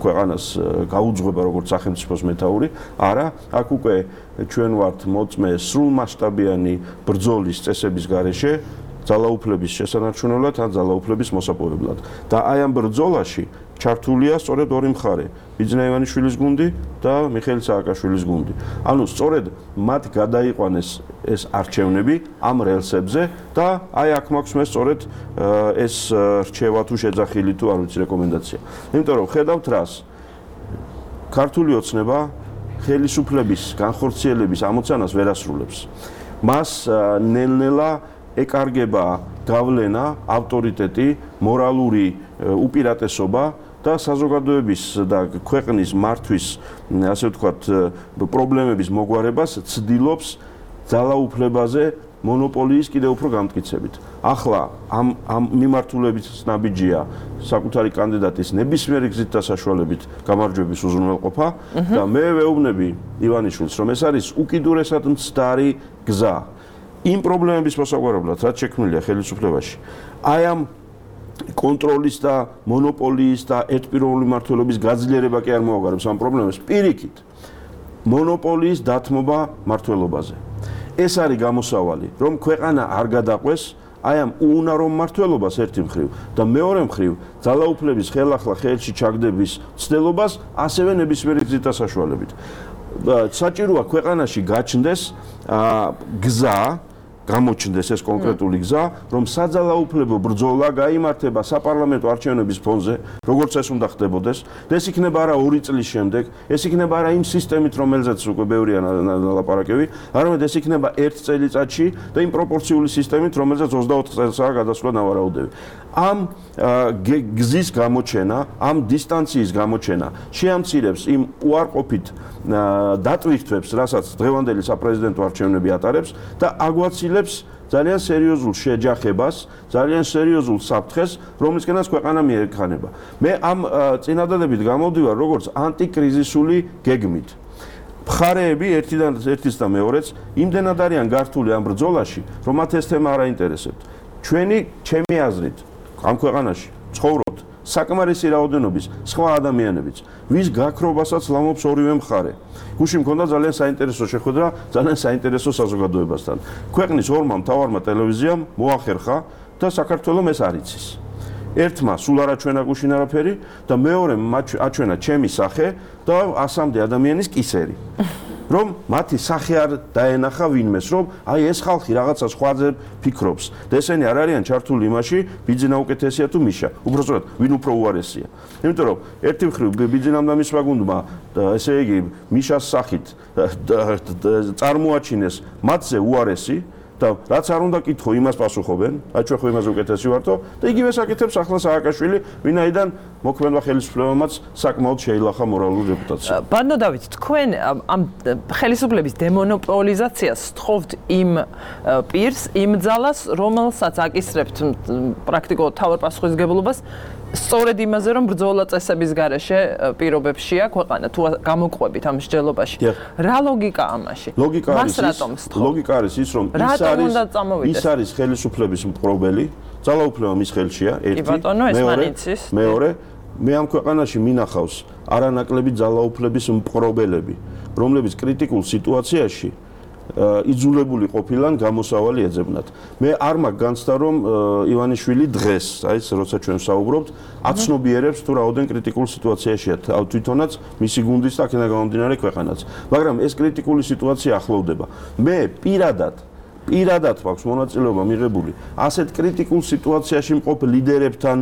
ქვეყანას გაუძღვება როგორც სახელმწიფოს მეთაური. არა, აქ უკვე ჩვენ ვართ მოწმე სრულმასშტაბიანი ბრძოლის წესების გარეშე, ძალაუფლების შესანარჩუნებლად ან ძალაუფლების მოსაპოვებლად. და აი ამ ბრძოლაში ჩართულია სწორედ ორი მხარე, ბიძინა ივანიშვილის გუნდი და მიხეილ სააკაშვილის გუნდი. ანუ სწორედ მათ გადაიყვანეს ეს არჩევნები ამ რელსებზე და აი აქ მაქვს მე სწორედ ეს რჩევა თუ შეძახილი თუ არ ვიცი რეკომენდაცია. იმიტომ რომ ხედავთ რას ქართული ოცნება ხელისუფლების განხორციელების ამოცანას ვერ ასრულებს. მას ნელ-ნელა ეკარგება გავლენა, ავტორიტეტი, მორალური უპირატესობა და საზოგადოების და ქვეყნის მართვის, ასე ვთქვათ, პრობლემების მოგვარებას ცდილობს ძალაუფლებაზე მონოპოლიის კიდევ უფრო გამტკიცებით. ახლა ამ მიმართულებით ნაბიჯია საკუთარი კანდიდატის ნებისმიერი გზით და საშუალებით გამარჯვების უზრუნველყოფა და მე ვეუბნები ივანიშვილს, რომ ეს არის უკიდურესად მცდარი გზა იმ პრობლემების მოსაგვარებლად, რაც შექმნილია ხელისუფლებაში. აი ამ კონტროლის და მონოპოლიის და ერთპიროვნული მმართველობის გაძლიერება კი არ მოაგვარებს ამ პრობლემებს. პირიქით, მონოპოლიის დათმობა მმართველობაზე. ეს არის გამოსავალი, რომ ქვეყანა არ გადაყვეს აი ამ უუნარო მმართველობას ერთი მხრივ და მეორე მხრივ ძალაუფლების ხელახლა ხელში ჩაგდების ცდელობას ასევე ნებისმიერი გზით და საშუალებით. საჭიროა ქვეყანაში გაჩნდეს გზა, გამოჩნდეს ეს კონკრეტული გზა, რომ საძალაუფლებო ბრძოლა გაიმართება საპარლამენტო არჩევნების ფონზე, როგორც ეს უნდა ხდებოდეს, და ეს იქნება არა 2 წლის შემდეგ, ეს იქნება არა იმ სისტემით, რომელზეც უკვე ბევრია ლაპარაკები, არამედ ეს იქნება 1 წელიწადში და იმ პროპორციული სისტემით, რომელზეც 24 წელსაა გადასვლა ნავარაუდები. ამ გზის გამოჩენა, ამ დისტანციის გამოჩენა შეამცირებს იმ უარყოფით დატვირთვებს, რასაც დღევანდელი საპრეზიდენტო არჩევნები ატარებს და აგვაცილებს ძალიან სერიოზულ შეჯახებას, ძალიან სერიოზულ საფრთხეს, რომლისკენაც ქვეყანა მიექანება. მე ამ წინადადებით გამოვდივარ როგორც ანტიკრიზისული გეგმით. მხარეები ერთის და მეორეც იმდენად არიან გართული ამ ბრძოლაში, რომ მათ ეს თემა არ აინტერესებთ. ჩემი აზრით, ამ ქვეყანაში ცხოვრობთ საკმარისი რაოდენობის სხვა ადამიანებიც, ვის გაქრობასაც ლამობს ორივე მხარე. გუში მქონდა ძალიან საინტერესო შეხვედრა, ძალიან საინტერესო საზოგადოებასთან. ქვეყნის ორმა მთავარმა ტელევიზიამ მოახერხა და საქართველოს ეს არ იცის. ერთმა სულ არ აჩვენა გუშინ არაფერი და მეორემ აჩვენა ჩემი სახე და 100-მდე ადამიანის კისერი. რომ მათი სახე არ დაენახა ვინმეს, რომ აი ეს ხალხი რაღაცა სხვაზე ფიქრობს და ესენი არ არიან ჩართული იმაში, ბიძინა უკეთესია თუ მიშა, უბრალოდ ვინ უფრო უარესია. იმიტომ რომ ერთი მხრივ ბიძინამ და მისმა გუნდმა ესე იგი მიშას სახით წარმოაჩინეს მათზე უარესი და რაც არ უნდა კითხო, იმას პასუხობენ. აი ჩვენ ხო იმაზე უკეთესი ვართო და იგივე საკეთებს ახლა სააკაშვილი, ვინაიდან მოქმედმა ხელისუფლებამაც საკმაოდ შეილახა მორალური რეპუტაცია. ბანო დავით, თქვენ ამ ხელისუფლების დემონოპოლიზაციას სწხოვთ იმ პირს, იმ ძალას, რომელსაც აკისრებთ პრაქტიკულად თავარ პასუხისმგებლობას სწორედ იმაზე, რომ ბრძოლა წესების გარეშე პირობებშია ქვეყანა თუ გამოყვებით ამ მსჯელობაში. რა ლოგიკა ამაში? ლოგიკა არის ის, რომ ის არის ხელისუფლების მპყრობელი, ძალაუფლება მის ხელშია, ერთი, მეორე, მე ამ ქვეყანაში მინახავს არანაკლები ძალაუფლების მპყრობელები, რომლებიც კრიტიკულ სიტუაციაში იძულებული ყოფილან გამოსავალი ეძებნათ. მე არ მაქვს განცდა, რომ ივანიშვილი დღეს, აი ეს როცა ჩვენ ვსაუბრობთ, აცნობიერებს თუ რაოდენ კრიტიკულ სიტუაციაშია თვითონაც მისი გუნდის და აქედან გამომდინარე ქვეყანაც. მაგრამ ეს კრიტიკული სიტუაცია ახლოვდება. მე პირადად მაქვს მონაწილეობა მიღებული ასეთ კრიტიკულ სიტუაციაში მყოფ ლიდერებთან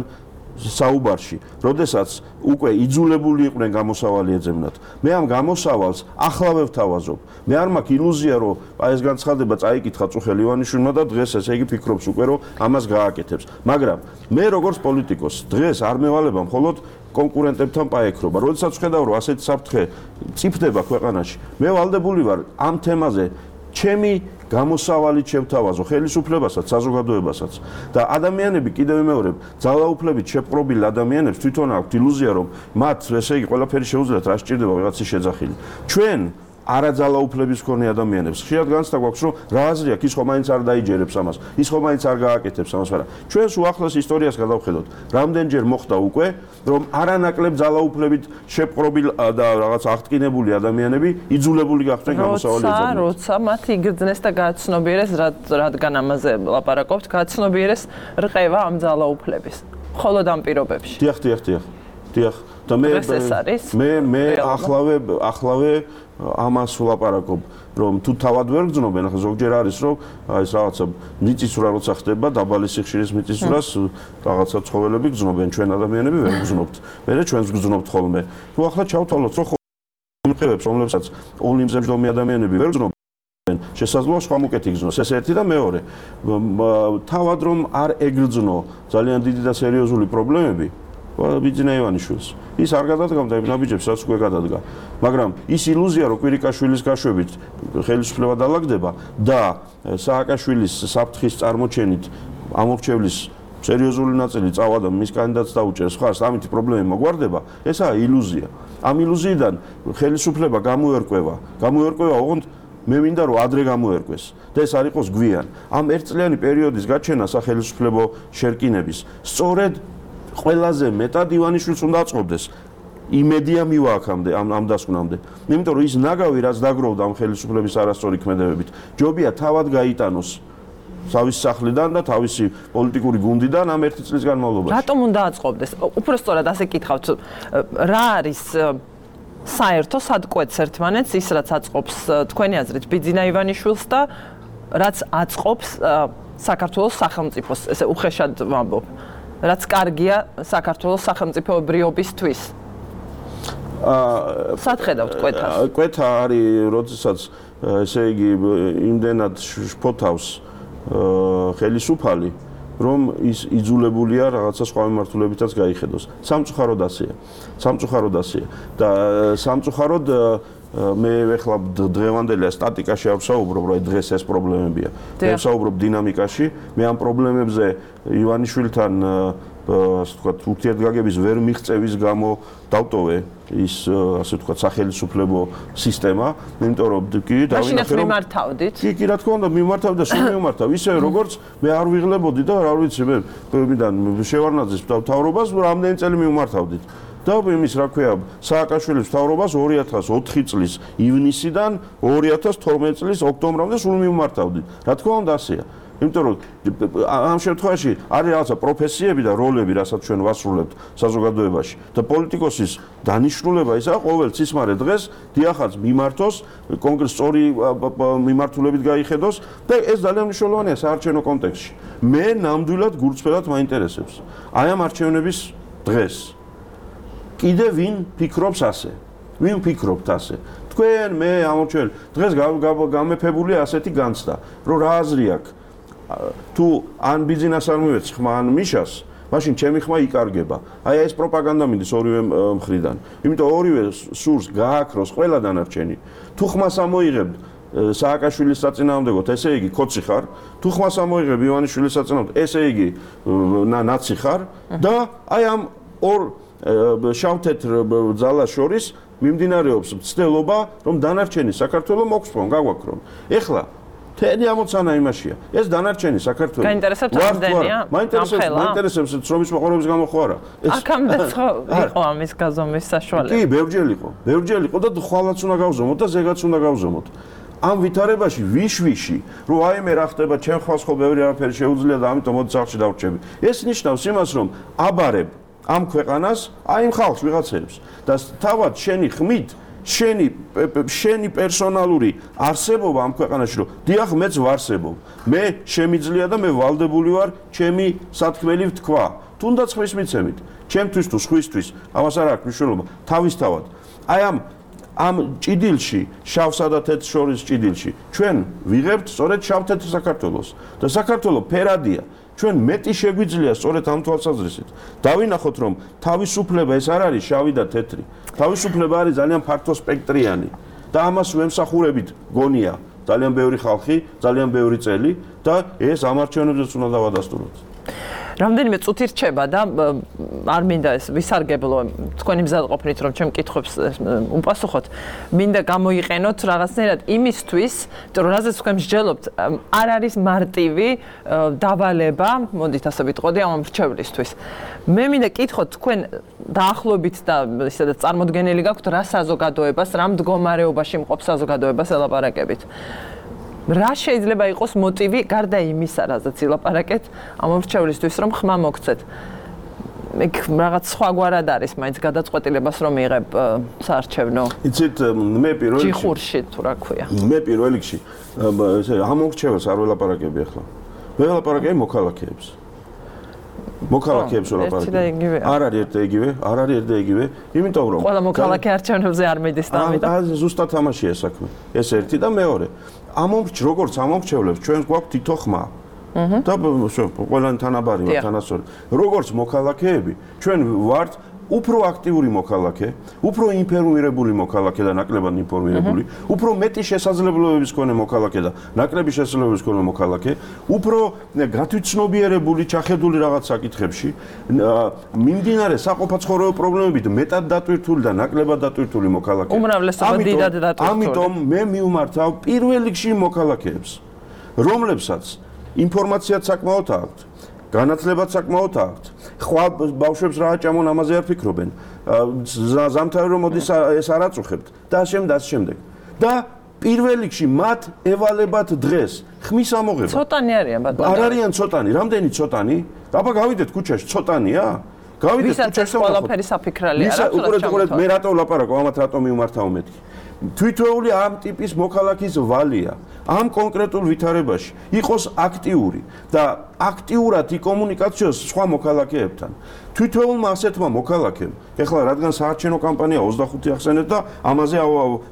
საუბარში, როდესაც უკვე იძულებული იყვნენ გამოსავალი ეძებნათ. მე ამ გამოსავალს ახლავე ვთავაზობ. მე არ მაქვს ილუზია, რომ აი ეს განცხადება წაიკითხა წუხელ ივანიშვილმა და დღეს ესე იგი ფიქრობს უკვე, რომ ამას გააკეთებს. მაგრამ მე როგორც პოლიტიკოს დღეს არ მევალება მხოლოდ კონკურენტებთან პაექრობა. როდესაც ვხედავ, რომ ასეთი საფრთხე წიფდება ქვეყანაში, მე ვალდებული ვარ ამ თემაზე ჩემი გამოსავალით შევთავაზო ხელისუფლებასაც, საზოგადოებასაც და ადამიანები კიდევ ვიმეორებ, ძალაუფლებით შეპყრობილ ადამიანებს თვითონ აქვთ ილუზია, რომ მათ ესე იგი ყველაფერი შეუძლიათ, რა სჭირდება ვიღაცის შეძახილი. ჩვენ არაძალაუფლების მქონე ადამიანებს ხშირად განცდა გვაქვს, რომ რა აზრი აქვს, ის ხომ მაინც არ დაიჯერებს ამას, ის ხომ მაინც არ გააკეთებს ამას, მაგრამ ჩვენს უახლეს ისტორიას გადავხედოთ, რამდენჯერ მოხდა უკვე, რომ არანაკლებ ძალაუფლებით შეპყრობილ და რაღაც აღტკინებული ადამიანები იძულებული გახდნენ გამოსავალი ეძებნათ. როცა მათ იგრძნეს და გააცნობიერეს, რადგან ამაზე ლაპარაკობთ, გააცნობიერეს რყევა ამ ძალაუფლების. მხოლოდ ამ პირობებში. დიახ. და მე ახლავე ამას ვლაპარაკობ, რომ თუ თავად ვერ გძნობენ, ახლა ზოგჯერ არის, რომ აი ეს რაღაცა მიწისძვრა როცა ხდება, დაბალი სიხშირის მიწისძვრას რაღაცა ცხოველები გძნობენ, ჩვენ ადამიანები ვერ გძნობთ. მე ჩვენს გძნობთ ხოლმე. თუ ახლა ჩავთვალოთ, რომ ხებებს, რომლებსაც ოლიმპზე მჯდომი ადამიანები ვერ გძნობენ, შესაძლოა სხვა მუკეთი გძნოს. ეს ერთი და მეორე. თავად რომ არ ეგრძნო ძალიან დიდი და სერიოზული პრობლემები ბიძინა ივანიშვილს. ის არ გადადგამდა იმ ნაბიჯებს, რაც უკვე გადადგა. მაგრამ ის ილუზია, რომ კვირიკაშვილის გაშვებით ხელისუფლება დაალაგდება და სააკაშვილის საფრთხის წარმოჩენით ამორჩევლის სერიოზული ნაწილი წავა და მის კანდიდატს დაუჭერს ხარს, ამით პრობლემები მოგვარდება, ესაა ილუზია. ამ ილუზიიდან ხელისუფლება გამოერკვევა, ოღონდ მე მინდა რომ ადრე გამოერკვეს და ეს არ იყოს გვიან. ამ ერთწლიანი პერიოდის გაჩენა სახელმწიფო შერკინების სწორედ ყველაზე მეტად ივანიშვილს უნდა აწყობდეს. იმედია მივა აქამდე ამ დასკვნამდე. იმიტომ რომ ის ნაგავი რაც დაგროვდა ამ ხელისუფლების არასწორი ქმედებებით, ჯობია თავად გაიტანოს თავის სახლიდან და თავისი პოლიტიკური გუნდიდან ამ ერთი წლის განმავლობაში. რატომ უნდა აწყობდეს? უпростоრად ასე კითხავთ, რა არის საერთო სადკვეთს ერთმანეთს ის რაც აწყობს თქვენი აზრით ბიძინა ივანიშვილს და რაც აწყობს საქართველოს სახელმწიფოს, ესე უხეშად ვამბობ. რაც კარგია საქართველოს სახელმწიფოებრიობისთვის. სათხედავთ კვეთას? კვეთა არის, როდესაც ესე იგი იმდენად შფოთავს ხელისუფალი, რომ ის იძულებულია რაღაცა სხვა მიმართულებითაც გაიხედოს. სამწუხაროდ ასეა. და სამწუხაროდ მე ეხლა დღევანდელი სტატიკაში არ ვსაუბრობ, რომ დღეს ეს პრობლემებია. მე ვსაუბრობ დინამიკაში, მე ამ პრობლემებზე ივანიშვილთან ასე ვთქვათ, ურთიერთგაგების ვერ მიღწევის გამო დავტოვე ის ასე ვთქვათ, სახელმწიფო სისტემა, იმიტომ რომ კი დავინახე რომ მიმართავდით. კი, რა თქმა უნდა, მიმართავ და სულ მიმართავ, ისე როგორც მე არ ვიღლებოდი და რა ვიცი, მე მიდან შევარნაძის მთავრობას რამდენი წელი მიმართავდით. და იმის რა ქვია, სააკაშვილის მთავრობას 2004 წლის ივნისიდან 2012 წლის ოქტომბრამდე სულ მიმართავდით. რა თქმა უნდა ასეა. იმიტომ რომ ამ შემთხვევაში არის რაღაცა პროფესიები და როლები, რასაც ჩვენ ვასრულებთ საზოგადოებაში და პოლიტიკოსის დანიშნულება ისაა ყოველ ცისმარე დღეს დიახაც მიმართოს, კონკრეტ სწორი მიმართულებით გაიხედოს და ეს ძალიან მნიშვნელოვანია საარჩევნო კონტექსტში. მე ნამდვილად გულწრფელად მაინტერესებს აი ამ არჩევნების დღეს კიდე ვინ ფიქრობს ასე? ვინ ფიქრობთ ასე? თქვენ მე ამორჩეველი დღეს გამეფებულია ასეთი განცდა, რომ რა აზრი აქვს? თუ ან ბიზნეს არ მივეც ხმა ან მიშას, მაშინ ჩემი ხმა იკარგება. აი ეს პროპაგანდა მინდის ორივე მხრიდან. იმიტომ ორივე სურს გააქროს ყველა დანარჩენი. თუ ხმას ამოიღებთ სააკაშვილის საწინააღმდეგოდ, ესე იგი ქოცი ხარ, თუ ხმას ამოიღებ ივანიშვილის საწინააღმდეგოდ, ესე იგი ნაცი ხარ და აი ამ ორ შავ-თეთრ ძალას შორის მიმდინარეობს მცდელობა, რომ დანარჩენი საქართველოს მოგსპონ, გაგვაქრონ. ეხლა თენი ამოცანა იმაშია. ეს დანარჩენი საქართველოს გაინტერესებთ რამდენია? მაინტერესებს ცრომის მოყოლების გამო ხო არა? აქამდე იყო ამის გაზომვის საშუალება. კი, ბევრჯერ იყო და ხვალაც უნდა გავზომოთ და ზეგაც უნდა გავზომოთ. ამ ვითარებაში ვიშვიში, რომ აი მე რა ხდება, ჩემ ხვალს ხო ბევრი არაფერი შეუძლია და ამიტომ მოდი სახში დავრჩები. ეს ნიშნავს იმას, რომ აბარებ ამ ქვეყანას, აი იმ ხალხს ვიღაცებს და თავად შენი ხმით შენი პერსონალური არსებობა ამ ქვეყანაში რომ დიახ მეც ვარსებობ მე შემიძლია და მე ვალდებული ვარ ჩემი სათქმელი ვთქვა თუნდაც ხმის მიცემით ჩემთვის თუ სხვისთვის ამას არ აქვს მნიშვნელობა თავისთავად აი ამ ჭიდილში შავსა და თეთრ შორის ჭიდილში ჩვენ ვიღებთ სწორედ შავ-თეთრ საქართველოს და საქართველოს ფერადია ჩვენ მეტი შეგვიძლია სწორედ ამ თვალსაზრისით დავინახოთ რომ თავისუფლება ეს არ არის შავი და თეთრი თავისუფლება არის ძალიან ფართო სპექტრიანი და ამას ვემსახურებით გონია ძალიან ბევრი ხალხი ძალიან ბევრი წელი და ეს ამ არჩევნებზეც უნდა დავადასტუროთ რამდენიმე წუთი რჩება და არ მინდა ეს ვისარგებლო თქვენი მზად ყოფნით რომ ჩემ კითხვებს უპასუხოთ მინდა გამოიყენოთ რაღაცნაირად იმისთვის რომ რაზეც თქვენ მსჯელობთ არ არის მარტივი დავალება მოდით ასე ვიტყოდი ამ მრჩევლისთვის მე მინდა კითხოთ თქვენ დაახლოებით და ისედაც წარმოდგენილი გაქვთ რა საზოგადოებას რა მდგომარეობაში მყოფ საზოგადოებას ელაპარაკებით რა შეიძლება იყოს მოტივი გარდა იმისა, რაზეც ილაპარაკეთ ამ მრჩევლისთვის, რომ ხმა მოგცეთ. ეგ რაღაც სხვაგვარად არის, მაინც გადაწყვეტილებას რომ იღებ საარჩევნო. იცით, მე პირველ რიგში ჯიხურში თუ რა ქვია. მე პირველ რიგში ესე ამ მრჩეველს არ ველაპარაკები ახლა. მე ველაპარაკები მოქალაქეებს. მოქალაქეებს ველაპარაკები. არ არის ერთ და იგივე, იმიტომ რომ ყველა მოქალაქე არჩევნებზე არ მიდის და ამიტომ ზუსტად თამაშია საქმე. ეს ერთი და მეორე როგორც ამომრჩევლებს ჩვენ გვაქვს თითო ხმა. და ყველანი თანაბარი ვართ თანასწორი. როგორც მოქალაქეები ჩვენ ვართ უფრო აქტიური მოქალაქე, უფრო ინფორმირებული მოქალაქე და ნაკლებად ინფორმირებული, უფრო მეტი შესაძლებლობების მქონე მოქალაქე და ნაკლები შესაძლებლობების მქონე მოქალაქე, უფრო გათვითცნობიერებული, ჩახედული რაღაც საკითხებში, მიმდინარე საყოფაცხოვრებო პრობლემებით მეტად დატვირთული და ნაკლებად დატვირთული მოქალაქე. უმრავლესობა დიდად დატვირთული. ამიტომ მე მივმართავ პირველ რიგში მოქალაქეებს, რომლებსაც ინფორმაციაც საკმაოდ აქვთ, განათლებაც საკმაოდ აქვთ. ხვალ ბავშვებს რა აჭამონ ამაზე არ ფიქრობენ. ზამთარი რომ მოდის ეს არ აწუხებთ და შემდეგ. და პირველ რიგში მათ ევალებათ დღეს ხმის ამოღება. ცოტანი არიან ბატონო. არ არიან ცოტანი, რამდენი ცოტანი? აბა გავიდეთ ქუჩაში, ცოტანია? გავიდეთ ქუჩაში და ყველაფერი საფიქრალია რა თქმა მე რატო ვლაპარაკობ, ამათ რატო მივმართავ მეთქი. თვითეული ამ ტიპის მოქალაქის ვალია ამ კონკრეტულ ვითარებაში იყოს აქტიური და აქტიურად იკომუნიკაციოს სხვა მოქალაქეებთან. თვითეულმა ასეთმა მოქალაქემ, ეხლა რადგან საარჩევნო კამპანია 25 ახსენეთ და ამაზე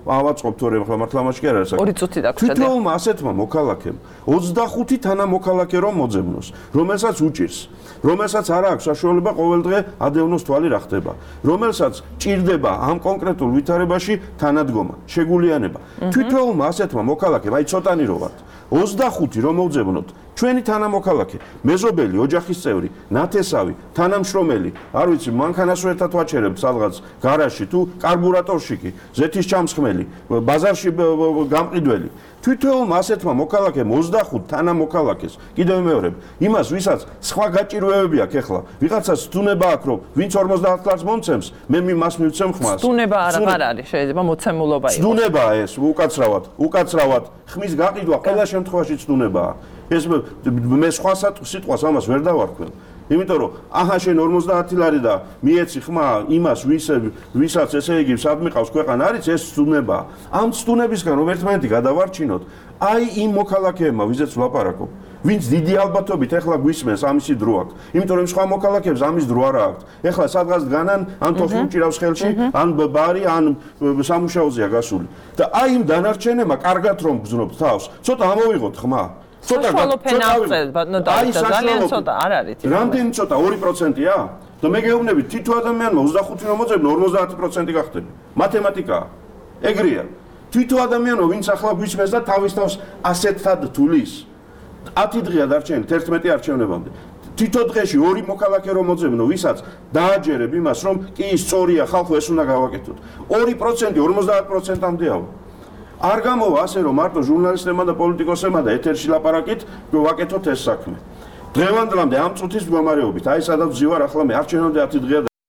ავაწყობ თორე ახლა მართლა მაშინ არ არის. 2 წუთი დაგვრჩა. თვითეულმა ასეთმა მოქალაქემ 25 თანამოქალაქე რომ მოძებნოს, რომელსაც უჭირს, რომელსაც არ აქვს საშუალება ყოველდღე ადევნოს თვალი რა ხდება, რომელსაც ჭირდება ამ კონკრეტულ ვითარებაში თანადგომა, შეგულიანება. თვითეულმა ასეთმა მოქალაქემ, აი ცოტანი რო ვართ, 25 რომ მოვძებნოთ ჩვენი თანამოქალაქე, მეზობელი, ოჯახის წევრი, ნათესავი, თანამშრომელი, არ ვიცი, მანქანას ერთად ვაჩერებთ სადღაც გარაჟში თუ კარბურატორში კი, ზეთის ჩამსხმელი, ბაზარში გამყიდველი. თვითეულმა ასეთმა მოქალაქემ 25 თანამოქალაქეს, კიდევ მეორებ, იმას ვისაც სხვა გაჭირვებები აქვს ეხლა, ვიღაცას სტუნება აქვს, რომ ვინც 50 ლარს მომცემს, მე მას მივცემ ხმას. სტუნება არ არის, შეიძლება მოცემულობა იყოს. სტუნებაა ეს, უკაცრავად, ხმის გაყიდვა ყველა შემთხვევაში სტუნებაა. ეს მე სხვა სიტყვას ამას ვერ დავარქვენ. იმიტომ რომ აჰა შენ 50 ლარი და მიეცი ხმა იმას ვისაც ესე იგი სადმიყავს ქვეყანა არის ეს სტუნება. ამ სტუნებისგან რომ ერთმანეთი გადავარჩინოთ, აი იმ მოქალაქეებმა ვიზეც ვლაპარაკობ. ვინც დიდი ალბათობით ეხლა გვისმენს ამისი დრო აქვს. იმიტომ რომ სხვა მოქალაქეებს ამის დრო არ აქვს. ეხლა სადღაც დგანან, ან თოხი უჭირავს ხელში, ან ბარი, ან სამუშაოზეა გასული. და აი იმ დანარჩენებმა კარგად რომ გზნობთ თავს, ცოტა ამოვიღოთ ხმა. საშუალო ფენა აღწევთ, ბატონო დავით, ძალიან ცოტა არ არის. რამდენი ცოტა 2%-ია? და მე გეუბნები თითო ადამიანმა 25 რომ მოძებნო 50% გახდება. მათემატიკაა. ეგრეა. თითო ადამიანო ვინც ახლა გვისმენს და თავის თავს ასეთად თulis 10 დღეა დარჩენილი 11 არჩევნებამდე. თითო დღეში 2 მოქალაქე რომ მოძებნო, ვისაც დააჯერებ იმას, რომ კი სწორია ხალხო ეს უნდა გავაკეთოთ. 2% 50%-ამდეა. არ გამოვა ასე რომ მარტო ჟურნალისტებმა და პოლიტიკოსებმა და ეთერში ლაპარაკით ვაკეთოთ ეს საქმე. დღევანდლამდე ამ წუთის მდგომარეობით, აი სადაც ვზივარ ახლა მე არჩევნამდე 10 დღეა